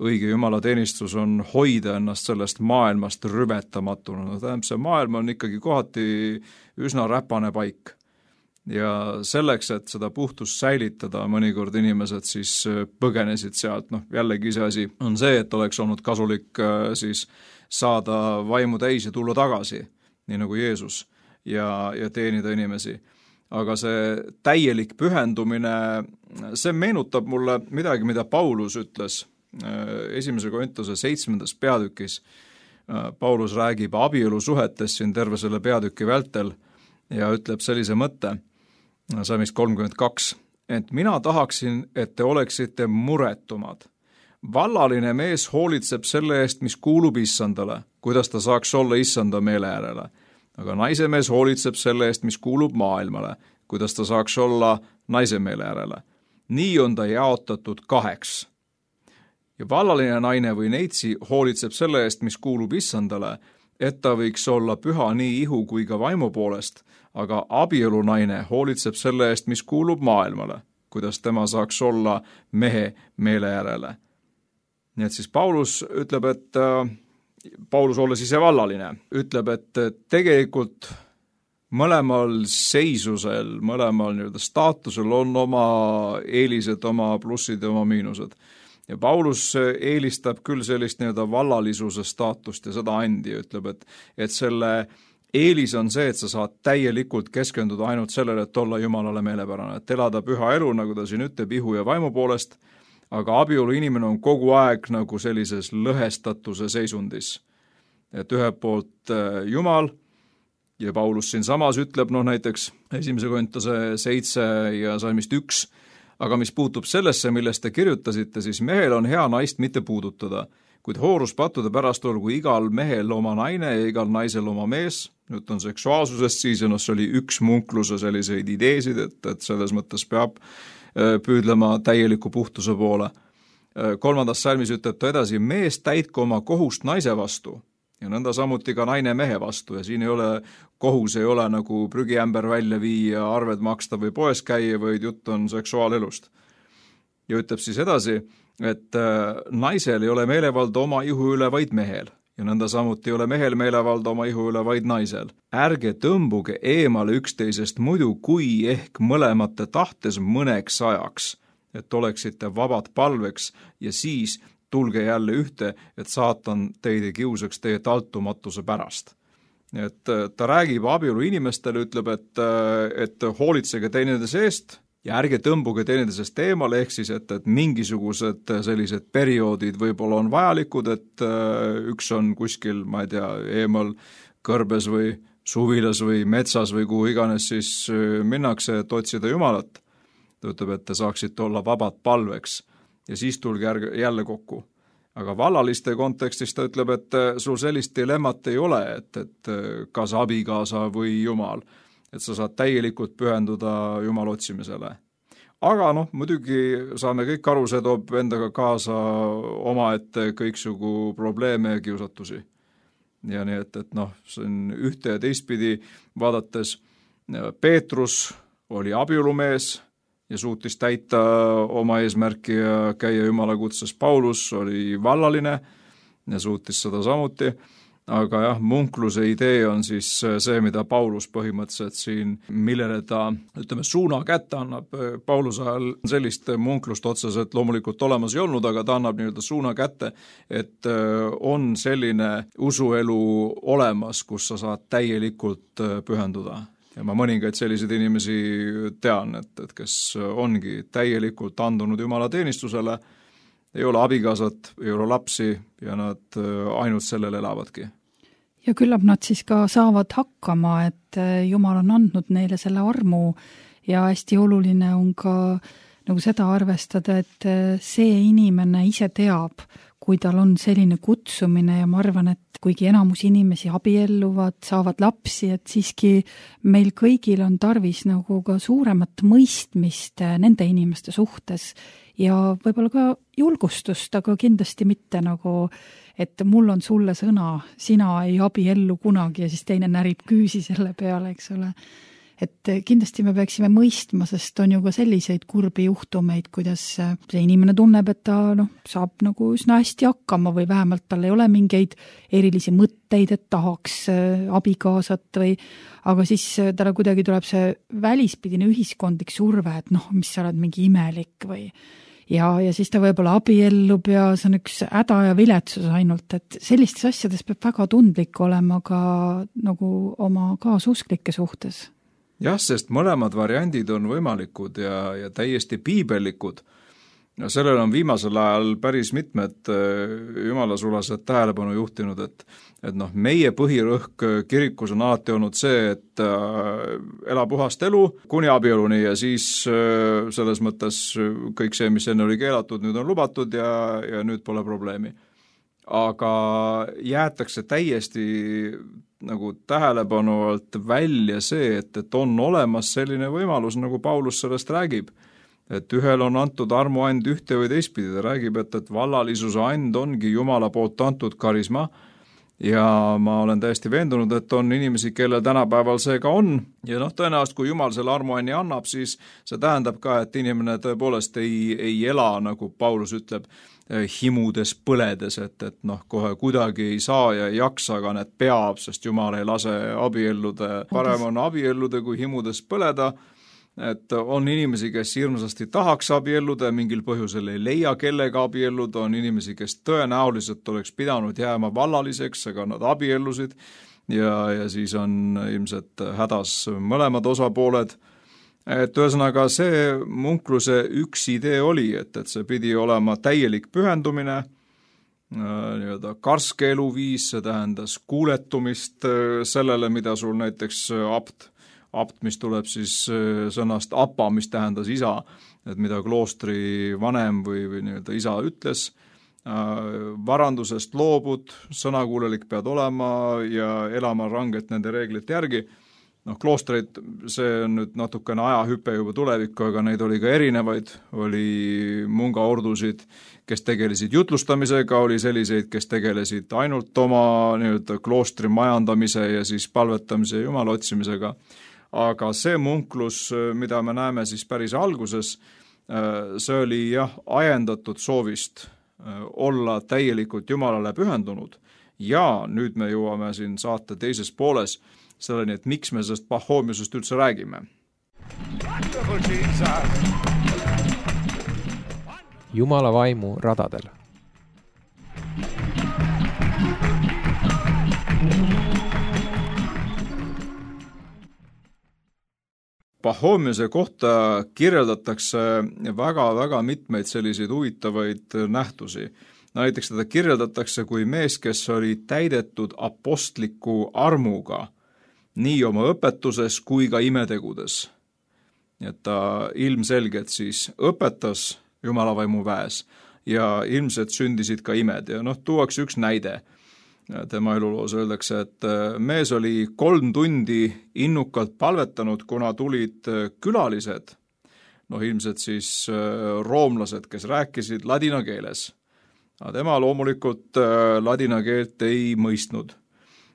õige Jumala teenistus on hoida ennast sellest maailmast rüvetamatuna. No, tähendab, see maailm on ikkagi kohati üsna räpane paik. Ja selleks, et seda puhtust säilitada, mõnikord inimesed siis põgenesid sealt. Noh, jällegi see asi on see, et oleks olnud kasulik siis saada vaimu täis ja tulla tagasi, nii nagu Jeesus, ja, ja teenida inimesi. Aga see täielik pühendumine, see meenutab mulle midagi, mida Paulus ütles esimese Korintuse seitsmendas peatükis. Paulus räägib abielusuhetest siin terve selle peatüki vältel ja ütleb sellise mõtte, salmist kolmkümmend kaks, et mina tahaksin, et te oleksite muretumad. Vallaline mees hoolitseb selle eest, mis kuulub issandale, kuidas ta saaks olla issanda meele järele. Aga naise mees hoolitseb selle eest, mis kuulub maailmale, kuidas ta saaks olla naise meele järele. Nii on ta jaotatud kaheks. Ja vallaline naine või neitsi hoolitseb selle eest, mis kuulub issandale, et ta võiks olla püha nii ihu kui ka vaimu poolest, aga abielunaine hoolitseb selle eest, mis kuulub maailmale, kuidas tema saaks olla mehe meele järele. Nii et siis Paulus ütleb, et äh, Paulus olles ise vallaline, ütleb, et tegelikult mõlemal seisusel, mõlemal nii-öelda staatusel on oma eelised, oma plussid ja oma miinused. Ja Paulus eelistab küll sellist nii-öelda vallalisuse staatust ja seda andi, ütleb, et, et selle eelis on see, et sa saad täielikult keskenduda ainult sellele, et olla Jumalale meelepärane, et elada püha elu, nagu ta siin ütleb, ihu ja vaimu poolest, aga abielu inimene on kogu aeg nagu sellises lõhestatuse seisundis. Et ühelt poolt Jumal ja Paulus siin samas ütleb, noh näiteks esimese Korintuse seitse ja salmist üks, aga mis puutub sellesse, millest te kirjutasite, siis mehel on hea naist mitte puudutada. kuid hooruspattude pärast olgu igal mehel oma naine ja igal naisel oma mees. Nüüd on seksuaalsusest siis, ja noh, see oli üks munkluse selliseid ideesid, et, et selles mõttes peab püüdlema täieliku puhtuse poole. Kolmandas salmis ütleb ta edasi, mees täitku oma kohust naise vastu ja nõnda samuti ka naine mehe vastu ja siin ei ole, kohus ei ole nagu prügiämber välja viia, arved maksta või poes käia, vaid jutt on seksuaalelust. Ja ütleb siis edasi, et naisel ei ole meelevalda oma ihu üle vaid mehel ja nõnda samuti ei ole mehel meelevalda oma ihu üle vaid naisel. Ärge tõmbuge eemale üksteisest muidu, kui ehk mõlemate tahtes mõneks ajaks, et oleksite vabad palveks ja siis tulge jälle ühte, et saatan teid ei kiusaks teie taltumatuse pärast. Et ta räägib abielu inimestele, ütleb, et, et hoolitsege teineteise eest ja ärge tõmbuge teineteisest eemale, ehk siis, et, et mingisugused sellised perioodid võib-olla on vajalikud, et üks on kuskil, ma ei tea, eemal kõrbes või suvilas või metsas või kuhu iganes siis minnakse, et otsida Jumalat. Ta ütleb, et te saaksite olla vabad palveks ja siis tulge jälle kokku. Aga vallaliste kontekstis ta ütleb, et sul sellist dilemmat ei ole, et, et kas abikaasa või Jumal, et sa saad täielikult pühenduda Jumala otsimisele. Aga noh, muidugi saame kõik aru, see toob endaga kaasa omaette kõiksugu probleeme ja kiusatusi. Ja nii, et, et noh, see on ühte ja teistpidi vaadates, Peetrus oli abiulumees ja suutis täita oma eesmärki ja käia Jumala kutses. Paulus oli vallaline ja suutis seda samuti, aga jah, munkluse idee on siis see, mida Paulus põhimõtteliselt siin, millele ta, ütleme, suuna kätte annab. Pauluse ajal sellist munklust otseselt loomulikult olemas ei olnud, aga ta annab nii-öelda suuna kätte, et on selline usuelu olemas, kus sa saad täielikult pühenduda. Ja ma mõningaid selliseid inimesi tean, et, et kes ongi täielikult andunud Jumala teenistusele, ei ole abikaasat, ei ole lapsi ja nad ainult sellel elavadki. Ja küllap nad siis ka saavad hakkama, et Jumal on andnud neile selle armu ja hästi oluline on ka nagu seda arvestada, et see inimene ise teab, kui tal on selline kutsumine ja ma arvan, et kuigi enamus inimesi abielluvad, saavad lapsi, et siiski meil kõigil on tarvis nagu ka suuremat mõistmist nende inimeste suhtes ja võib-olla ka julgustust, aga kindlasti mitte nagu, et mul on sulle sõna, sina ei abiellu kunagi ja siis teine närib küüsi selle peale, eks ole. Et kindlasti me peaksime mõistma, sest on ju ka selliseid kurbi juhtumeid, kuidas see inimene tunneb, et ta noh, saab nagu üsna hästi hakkama või vähemalt tal ei ole mingeid erilisi mõtteid, et tahaks abikaasat või, aga siis talle kuidagi tuleb see välispidine ühiskondlik surve, et noh, mis sa oled mingi imelik või ja, ja siis ta võib-olla abiellub ja see on üks häda ja viletsus ainult, et sellistes asjades peab väga tundlik olema ka nagu oma kaasusklike suhtes. Jah, sest mõlemad variandid on võimalikud ja, ja täiesti piibellikud. Ja sellel on viimasel ajal päris mitmed jumalasulased tähelepanu juhtinud, et, et noh, meie põhirõhk kirikus on alati olnud see, et ela puhast elu kuni abieluni ja siis selles mõttes kõik see, mis enne oli keelatud, nüüd on lubatud ja, ja nüüd pole probleemi. Aga jäetakse täiesti nagu tähelepanu alt välja see, et, et on olemas selline võimalus, nagu Paulus sellest räägib, et ühel on antud armuand ühte või teistpidi, ta räägib, et, et vallalisuse and ongi Jumala poolt antud karisma ja ma olen täiesti veendunud, et on inimesi, kellel tänapäeval see ka on ja noh, tõenäoliselt kui Jumal selle armuanni annab, siis see tähendab ka, et inimene tõepoolest ei, ei ela, nagu Paulus ütleb, himudes põledes, et, et noh, kohe kuidagi ei saa ja ei jaksa, aga need peab, sest Jumal ei lase abiellude, parem on abiellude kui himudes põleda, et on inimesi, kes hirmsasti tahaks abielluda ja mingil põhjusel ei leia kellega abielluda, on inimesi, kes tõenäoliselt oleks pidanud jääma vallaliseks, aga nad abiellusid ja, ja siis on ilmselt hädas mõlemad osapooled. Et ühesõnaga see munkluse üks idee oli, et, et see pidi olema täielik pühendumine, nii-öelda karske eluviis, see tähendas kuuletumist sellele, mida sul näiteks apt, apt, mis tuleb siis sõnast apa, mis tähendas isa, et mida kloostri vanem või, või nii-öelda isa ütles, varandusest loobud, sõnakuulelik pead olema ja elama rangelt nende reeglite järgi. Noh, kloostreid, see on nüüd natukene ajahüpe juba tulevikku, aga neid oli ka erinevaid, oli mungaordusid, kes tegelesid jutlustamisega, oli selliseid, kes tegelesid ainult oma nii-öelda kloostri majandamise ja siis palvetamise ja jumala otsimisega. Aga see munklus, mida me näeme siis päris alguses, see oli jah, ajendatud soovist olla täielikult jumalale pühendunud ja nüüd me jõuame siin saate teises pooles selleni, et miks me sellest Pahhomiusest üldse räägime. Jumala vaimu radadel. Pahhomiuse kohta kirjeldatakse väga-väga mitmeid selliseid huvitavaid nähtusi. Näiteks teda kirjeldatakse kui mees, kes oli täidetud apostliku armuga, nii oma õpetuses kui ka imetegudes. Et ta ilmselgelt siis õpetas Jumala vaimu väes ja ilmselt sündisid ka imed. Ja noh, tuuakse üks näide. Tema eluloos öeldakse, et mees oli kolm tundi innukalt palvetanud, kuna tulid külalised, noh ilmselt siis roomlased, kes rääkisid ladina keeles. Aga tema loomulikult ladina keelt ei mõistnud.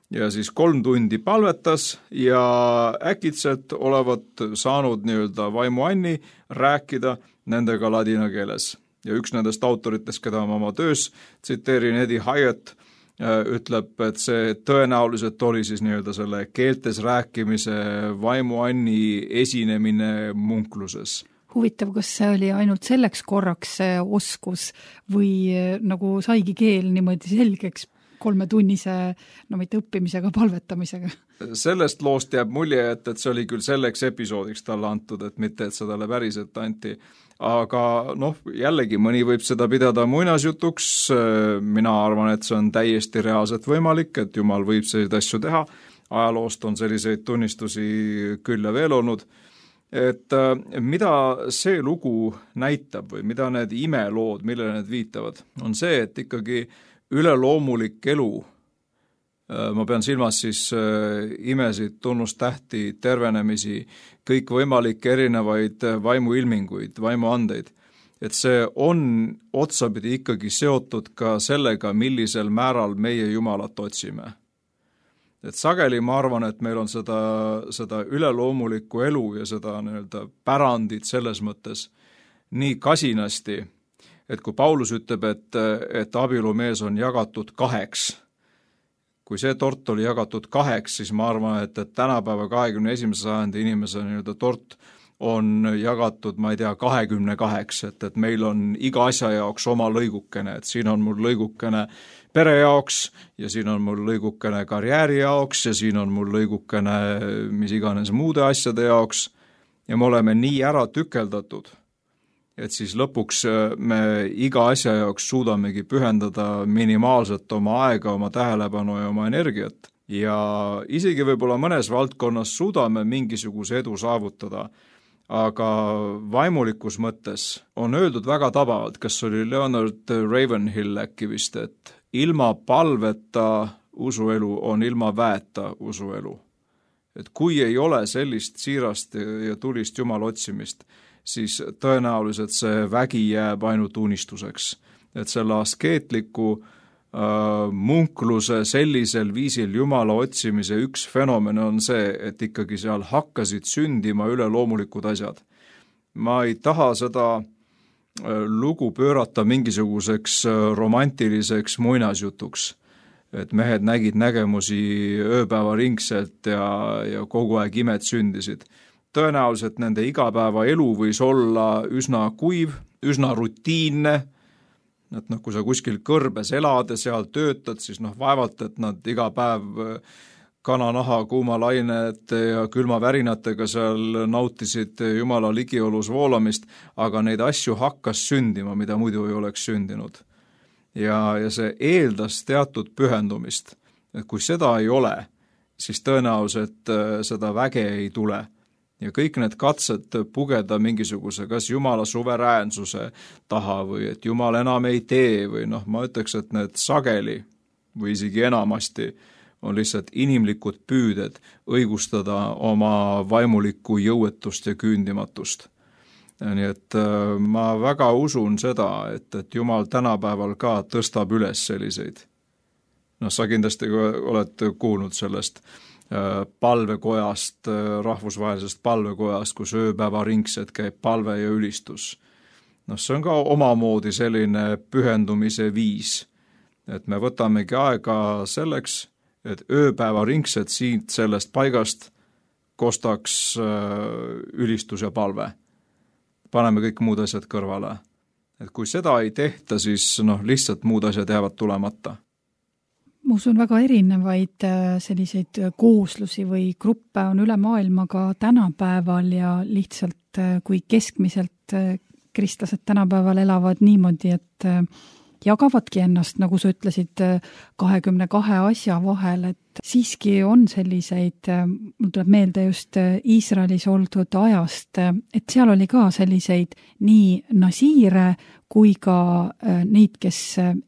Ja siis kolm tundi palvetas ja äkitselt olevat saanud nii-öelda vaimuanni rääkida nendega ladina keeles. Ja üks nendest autoritest, keda ma oma töös tsiteerin, Eddie Hyatt, ütleb, et see tõenäoliselt oli siis nii-öelda selle keeltes rääkimise vaimuanni esinemine munkluses. Huvitav, kas see oli ainult selleks korraks see oskus või nagu saigi keel niimoodi selgeks kolmetunnise, no mitte õppimisega, palvetamisega? Sellest loost jääb mulje, et, et see oli küll selleks episoodiks talle antud, et mitte, et seda päriselt anti. Aga noh, jällegi mõni võib seda pidada muinasjutuks, mina arvan, et see on täiesti reaalselt võimalik, et Jumal võib selliseid asju teha, ajaloost on selliseid tunnistusi küll ja veel olnud, et mida see lugu näitab või mida need imelood, millele need viitavad, on see, et ikkagi üleloomulik elu, ma pean silmas siis imesid, tunnustähti, tervenemisi, kõik võimalikke erinevaid vaimuilminguid, vaimuandeid, et see on otsapidi ikkagi seotud ka sellega, millisel määral meie Jumalat otsime. Et sageli ma arvan, et meil on seda, seda üleloomulikku elu ja seda nii-öelda pärandit selles mõttes nii kasinasti, et kui Paulus ütleb, et, et abielumees on jagatud kaheks, kui see tort oli jagatud kaheks, siis ma arvan, et, et tänapäeva kahekümne esimese sajandi inimese nii-öelda tort on jagatud, ma ei tea, kahekümne kaheks, et, et meil on iga asja jaoks oma lõigukene, et siin on mul lõigukene pere jaoks ja siin on mul lõigukene karjääri jaoks ja siin on mul lõigukene mis iganes muude asjade jaoks ja me oleme nii ära tükeldatud, et siis lõpuks me iga asja jaoks suudamegi pühendada minimaalselt oma aega, oma tähelepanu ja oma energiat. Ja isegi võib-olla mõnes valdkonnas suudame mingisuguse edu saavutada, aga vaimulikus mõttes on öeldud väga tabavalt, kas oli Leonard Ravenhill äkki vist, et ilma palveta usuelu on ilma väeta usuelu. Et kui ei ole sellist siirast ja tulist Jumala otsimist, siis tõenäoliselt see vägi jääb ainult unistuseks. Et selle askeetliku äh, munkluse sellisel viisil Jumala otsimise üks fenomen on see, et ikkagi seal hakkasid sündima üleloomulikud asjad. Ma ei taha seda äh, lugu pöörata mingisuguseks äh, romantiliseks muinasjutuks, et mehed nägid nägemusi ööpäevaringselt ja, ja kogu aeg imed sündisid. Tõenäoliselt nende igapäeva elu võis olla üsna kuiv, üsna rutiinne, et noh, kui sa kuskil kõrbes elad ja seal töötad, siis noh, vaevalt, et nad iga päev kananaha, kuumalainet ja külmavärinatega seal nautisid Jumala ligiolus voolamist, aga neid asju hakkas sündima, mida muidu ei oleks sündinud. Ja, ja see eeldas teatud pühendumist, et kui seda ei ole, siis tõenäoliselt seda väge ei tule. ja kõik need katsed pugeda mingisuguse kas Jumala suveräänsuse taha või et Jumal enam ei tee või noh, ma ütleks, et need sageli või isegi enamasti on lihtsalt inimlikud püüded õigustada oma vaimulikku jõuetust ja küündimatust. Nii et ma väga usun seda, et, et Jumal tänapäeval ka tõstab üles selliseid. No sa kindlasti oled kuulnud sellest palvekojast, rahvusvahelisest palvekojast, kus ööpäevaringselt käib palve ja ülistus. No see on ka omamoodi selline pühendumise viis, et me võtamegi aega selleks, et ööpäevaringselt siit sellest paigast kostaks ülistus ja palve. Paneme kõik muud asjad kõrvale. Et kui seda ei tehta, siis noh, lihtsalt muud asjad jäävad tulemata. Ma usun, väga erinevaid selliseid kooslusi või gruppe on üle maailma ka tänapäeval ja lihtsalt kui keskmiselt kristlased tänapäeval elavad niimoodi, et jagavadki ennast, nagu sa ütlesid, kahekümne kahe asja vahel, et siiski on selliseid, mul tuleb meelde just Iisraelis oldud ajast, et seal oli ka selliseid nii nasiire kui ka neid, kes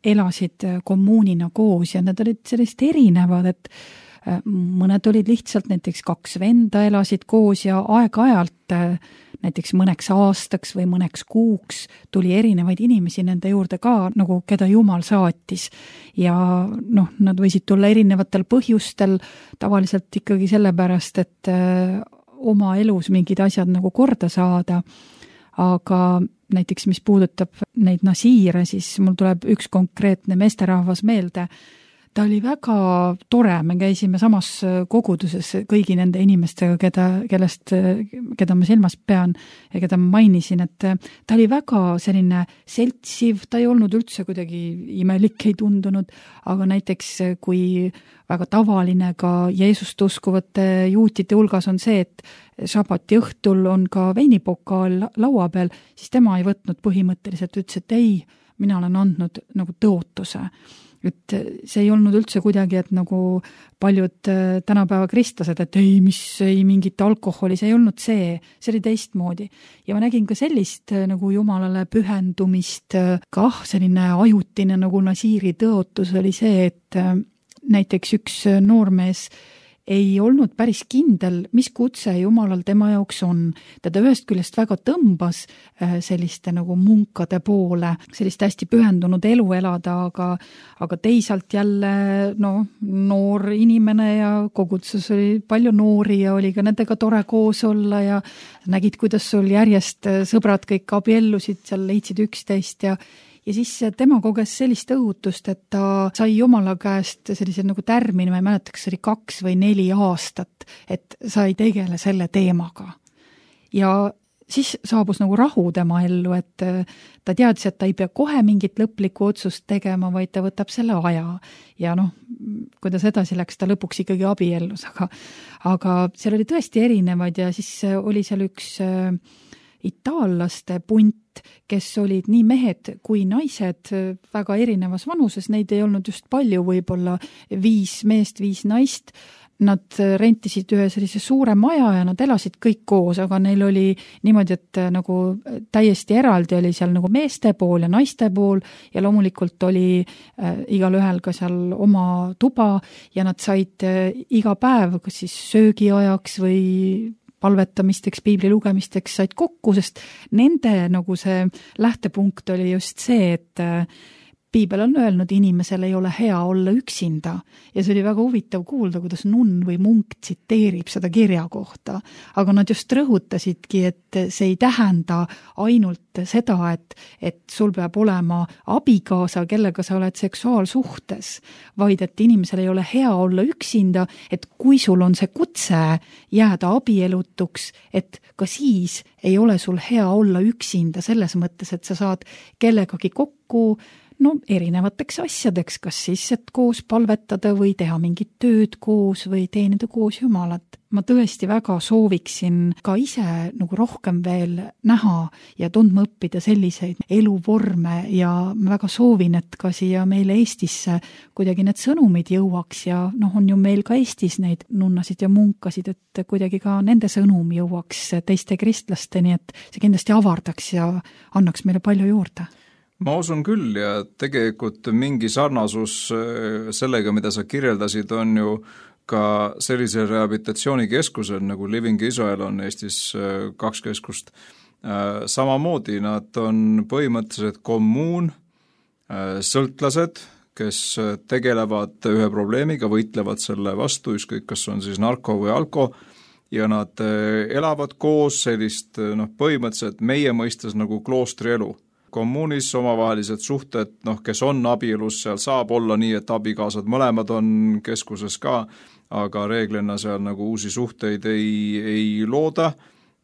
elasid kommuunina koos ja need olid sellist erinevad, et mõned olid lihtsalt näiteks kaks venda elasid koos ja aeg-ajalt näiteks mõneks aastaks või mõneks kuuks tuli erinevaid inimesi nende juurde ka, nagu keda Jumal saatis. Ja noh, nad võisid tulla erinevatel põhjustel, tavaliselt ikkagi sellepärast, et oma elus mingid asjad nagu korda saada. Aga näiteks, mis puudutab neid nasiire, siis mul tuleb üks konkreetne meesterahvas meelde. Ta oli väga tore, me käisime samas koguduses kõigi nende inimestega, keda, kellest, keda ma silmas pean ja keda ma mainisin, et ta oli väga selline seltsiv, ta ei olnud üldse kuidagi imelik, ei tundunud, aga näiteks kui väga tavaline ka Jeesust uskuvate juutide hulgas on see, et sabati õhtul on ka veinipokaal laua peal, siis tema ei võtnud põhimõtteliselt, ütles, et ei, mina olen andnud nagu tõotuse. Et see ei olnud üldse kuidagi, et nagu paljud tänapäeva kristlased, et ei, mis ei mingit alkoholi, see ei olnud see, see oli teistmoodi. Ja ma nägin ka sellist nagu Jumalale pühendumist, kah selline ajutine nagu nasiiri tõotus oli see, et näiteks üks noormees ei olnud päris kindel, mis kutse Jumalal tema jaoks on. Teda ühest küljest väga tõmbas selliste nagu munkade poole, sellist hästi pühendunud elu elada, aga, aga teisalt jälle no, noor inimene ja kogudus oli palju noori ja oli ka nendega tore koos olla ja nägid, kuidas sul järjest sõbrad kõik abiellusid, seal leidsid üksteist ja Ja siis tema koges sellist õhutust, et ta sai Jumala käest sellise nagu tärmini, ma ei mäleta, kas oli kaks või neli aastat, et sa ei tegele selle teemaga. Ja siis saabus nagu rahu tema ellu, et ta teadis, et ta ei pea kohe mingit lõplikku otsust tegema, vaid ta võtab selle aja. Ja noh, kuidas edasi läks, ta lõpuks ikkagi abiellus, aga, aga seal oli tõesti erinevaid ja siis oli seal üks itaallaste punt, kes olid nii mehed kui naised väga erinevas vanuses, neid ei olnud just palju, võib-olla viis meest, viis naist. Nad rentisid ühe sellise suure maja ja nad elasid kõik koos, aga neil oli niimoodi, et nagu täiesti eraldi oli seal nagu meeste pool ja naiste pool ja loomulikult oli äh, igal ühel ka seal oma tuba ja nad said äh, iga päev kas siis söögiajaks või palvetamisteks, piibli lugemisteks said kokku, sest nende nagu see lähtepunkt oli just see, et piibel on öelnud, inimesel ei ole hea olla üksinda ja see oli väga huvitav kuulda, kuidas nunn või munk tsiteerib seda kirja kohta, aga nad just rõhutasidki, et see ei tähenda ainult seda, et, et sul peab olema abikaasa, kellega sa oled seksuaalsuhtes, vaid et inimesel ei ole hea olla üksinda, et kui sul on see kutse jääda abielutuks, et ka siis ei ole sul hea olla üksinda selles mõttes, et sa saad kellegagi kokku, no erinevateks asjadeks, kas siis, et koos palvetada või teha mingit tööd koos või teenida koos Jumalat. Ma tõesti väga sooviksin ka ise nagu rohkem veel näha ja tundma õppida selliseid eluvorme ja ma väga soovin, et ka siia meile Eestisse kuidagi need sõnumid jõuaks ja noh, on ju meil ka Eestis neid nunnasid ja munkasid, et kuidagi ka nende sõnum jõuaks teiste kristlasteni, et see kindlasti avardaks ja annaks meile palju juurde. Ma usun küll ja tegelikult mingi sarnasus sellega, mida sa kirjeldasid, on ju ka sellise rehabilitatsioonikeskusel nagu Living Israel on Eestis kaks keskust. Samamoodi nad on põhimõtteliselt kommuun, sõltlased, kes tegelevad ühe probleemiga, võitlevad selle vastu, ükskõik kas on siis narko või alko, ja nad elavad koos sellist noh, põhimõtteliselt meie mõistes nagu kloostri elu. Kommuunis omavahelised suhted, noh, kes on abielus, seal saab olla nii, et abikaasad mõlemad on keskuses ka, aga reeglina seal nagu uusi suhteid ei, ei looda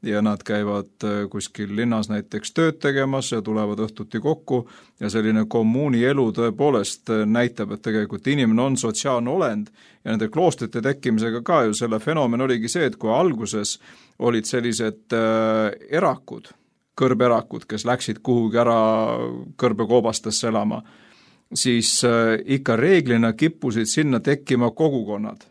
ja nad käivad kuskil linnas näiteks tööd tegemas ja tulevad õhtuti kokku ja selline kommuuni elu tõepoolest näitab, et tegelikult inimene on sotsiaalne olend ja nende kloostrite tekkimisega ka ju selle fenomen oligi see, et kui alguses olid sellised äh, erakud, kõrberakud, kes läksid kuhugi ära kõrbekoobastesse elama, siis äh, ikka reeglina kippusid sinna tekkima kogukonnad.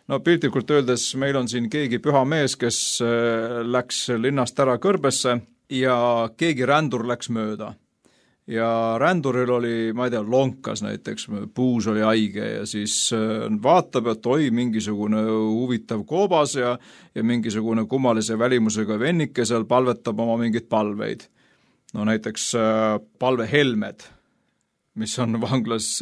No piltlikult öeldes meil on siin keegi püha mees, kes äh, läks linnast ära kõrbesse ja keegi rändur läks mööda. Ja ränduril oli, ma ei tea, lonkas näiteks, puus oli haige ja siis äh, vaatab, et oi, mingisugune huvitav koobas ja, ja mingisugune kummalise välimusega vennike seal palvetab oma mingid palveid. No näiteks äh, palvehelmed, mis on vanglas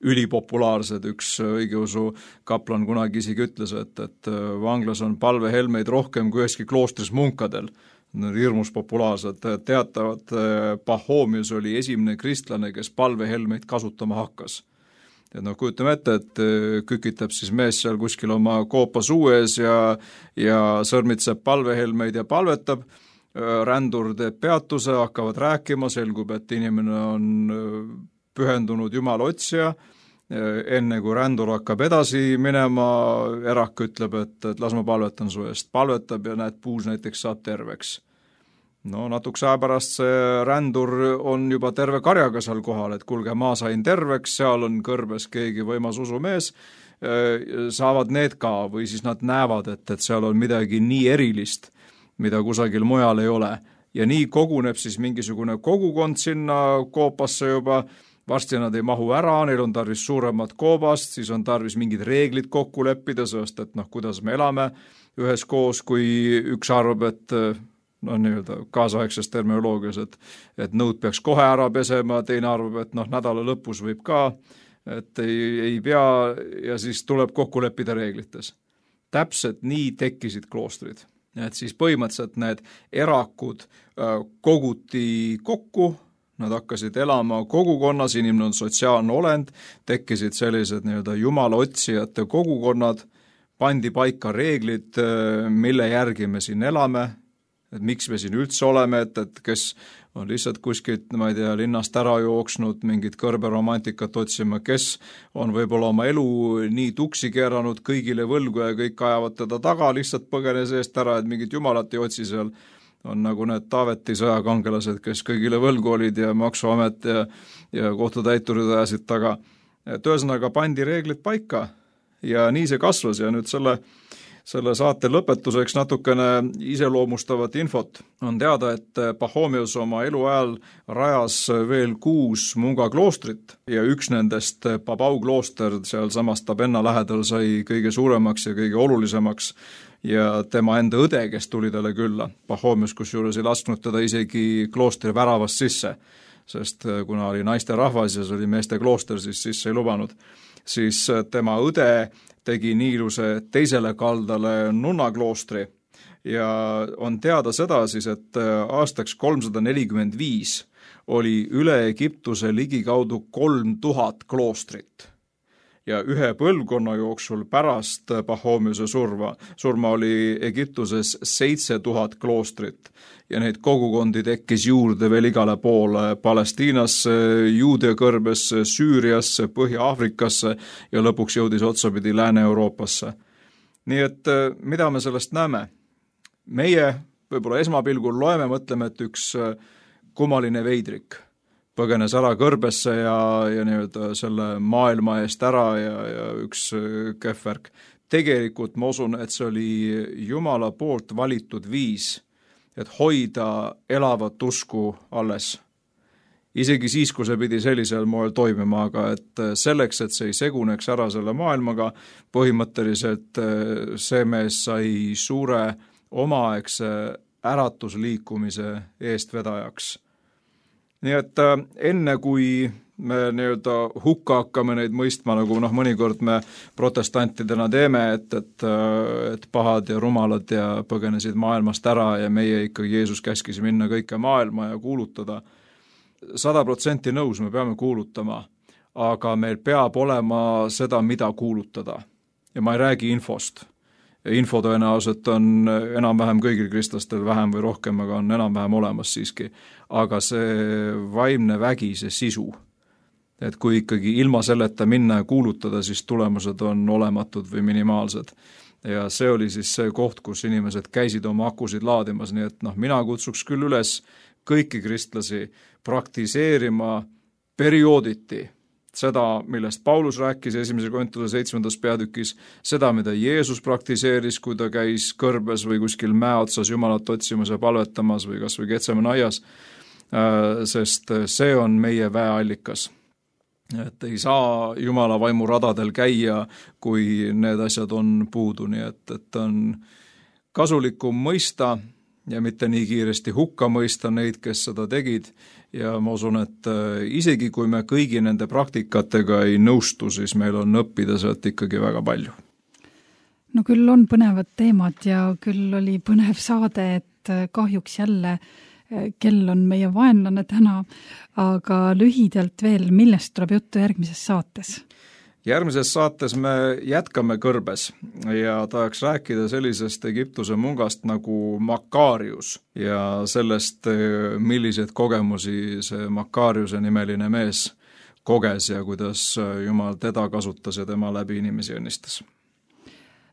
ülipopulaarsed. Üks õigeusu kaplan kunagi isegi ütles, et, et vanglas on palvehelmeid rohkem kui üheski kloostris munkadel. Hirmus populaarsed. Teatavad Pahhomius oli esimene kristlane, kes palvehelmeid kasutama hakkas. Et noh, kujutame ette, et kükitab siis mees seal kuskil oma koopa suu ees ja, ja sõrmitseb palvehelmeid ja palvetab. Rändur teeb peatuse, hakkavad rääkima, selgub, et inimene on pühendunud Jumala otsija, enne kui rändur hakkab edasi minema, erak ütleb, et, et las ma palvetan su eest, palvetab ja näed, puus näiteks saab terveks. No natuks aja pärast see rändur on juba terve karjaga seal kohal, et kuulge, ma sain terveks, seal on kõrbes keegi võimas usumees, saavad need ka või siis nad näevad, et, et seal on midagi nii erilist, mida kusagil mujal ei ole. Ja nii koguneb siis mingisugune kogukond sinna koopasse juba, varsti nad ei mahu ära, neil on tarvis suuremat koobast, siis on tarvis mingid reeglid kokku leppida, sest et noh, kuidas me elame ühes koos, kui üks arvab, et no nii-öelda kaasaegses terminoloogias, et, et nõud peaks kohe ära pesema, teine arvab, et noh, nädala lõpus võib ka, et ei, ei pea ja siis tuleb kokku leppida reeglites. Täpselt nii tekkisid kloostrid. Et siis põhimõtteliselt need erakud koguti kokku, nad hakkasid elama kogukonnas, inimene on sotsiaalne olend, tekkisid sellised nii-öelda jumala otsijate kogukonnad, pandi paika reeglid, mille järgi me siin elame, et miks me siin üldse oleme, et, et kes on lihtsalt kuskilt, ma ei tea, linnast ära jooksnud mingit kõrberomantikat otsima, kes on võib-olla oma elu nii tuksi keeranud kõigile võlgu ja kõik ajavad teda taga, lihtsalt põgene seest ära, et mingit jumalat ei otsi seal. On nagu need Taaveti sõjakangelased, kes kõigile võlgu olid ja maksuamet ja, ja kohtutäiturid ajasid taga. Et ühesõnaga pandi reeglid paika ja nii see kasvas ja nüüd selle, selle saate lõpetuseks natukene iseloomustavat infot. On teada, et Pahhomius oma eluajal rajas veel kuus munga kloostrit ja üks nendest Babau klooster seal samas Tabenna lähedal sai kõige suuremaks ja kõige olulisemaks ja tema enda õde, kes tuli talle külla. Pahhomius kusjuures ei lasknud teda isegi kloostri väravast sisse, sest kuna oli naiste rahvas ja see oli meeste klooster, siis sisse ei lubanud. Siis tema õde tegi nii iluse teisele kaldale nunnakloostri ja on teada seda siis, et aastaks kolmsada nelikümmend viis oli üle Egiptuse ligikaudu kolm tuhat kloostrit. ja ühe põlvkonna jooksul pärast Pachomiuse surma, surma oli Egiptuses seitse tuhat kloostrit ja neid kogukondi tekkis juurde veel igale poole Palestiinasse, Juudia kõrbesse, Süüriasse, Põhja-Aafrikasse ja lõpuks jõudis otsapidi Lääne-Euroopasse. Nii et mida me sellest näeme? Meie võib-olla esmapilgul loeme, mõtleme, et üks kummaline veidrik põgenes ära kõrbesse ja, ja nii-öelda selle maailma eest ära ja, ja üks kehvvärk. Tegelikult ma usun, et see oli Jumala poolt valitud viis, et hoida elavat usku alles. Isegi siis, kui see pidi sellisel moel toimima, aga et selleks, et see ei seguneks ära selle maailmaga, põhimõtteliselt see mees sai suure omaaegse äratusliikumise eestvedajaks. Nii et enne, kui me nii-öelda hukka hakkame neid mõistma, nagu noh, mõnikord me protestantidena teeme, et, et, et pahad ja rumalad ja põgenesid maailmast ära ja meie ikkagi Jeesus käskis minna kõike maailma ja kuulutada. Sada protsenti nõus me peame kuulutama, aga meil peab olema seda, mida kuulutada. Ja ma ei räägi infost. Info tõenäoliselt on enam-vähem kõigil kristlastel vähem või rohkem, aga on enam-vähem olemas siiski. Aga see vaimne vägi, see sisu, et kui ikkagi ilma selleta minna ja kuulutada, siis tulemused on olematud või minimaalsed. Ja see oli siis see koht, kus inimesed käisid oma akusid laadimas, nii et noh, mina kutsuks küll üles kõiki kristlasi praktiseerima periooditi seda, millest Paulus rääkis esimese Korintuse seitsmendas peatükis, seda, mida Jeesus praktiseeris, kui ta käis kõrbes või kuskil mäe otsas Jumalat otsimas ja palvetamas või kas või Getsemani aias, sest see on meie väeallikas. Et ei saa Jumala vaimu radadel käia, kui need asjad on puudu, nii et, et on kasulikum mõista ja mitte nii kiiresti hukka mõista neid, kes seda tegid. Ja ma usun, et isegi kui me kõigi nende praktikatega ei nõustu, siis meil on õppida sealt ikkagi väga palju. No küll on põnevad teemad ja küll oli põnev saade, et kahjuks jälle kell on meie vaenlane täna, aga lühidalt veel, millest tuleb juttu järgmises saates? Järgmises saates me jätkame kõrbes ja tahaks rääkida sellisest Egiptuse mungast nagu Makarius ja sellest, millised kogemusi see Makariuse nimeline mees koges ja kuidas Jumal teda kasutas ja tema läbi inimesi õnnistas.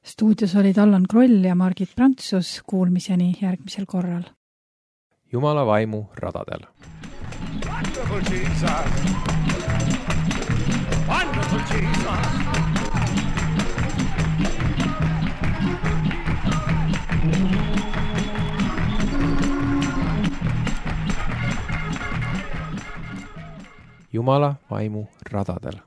Stuudios olid Allan Kroll ja Margit Prantsus, kuulmiseni järgmisel korral. Jumala vaimu radadel. Wonderful Jesus! Wonderful Jesus! Jumala vaimu radadel.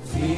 Feel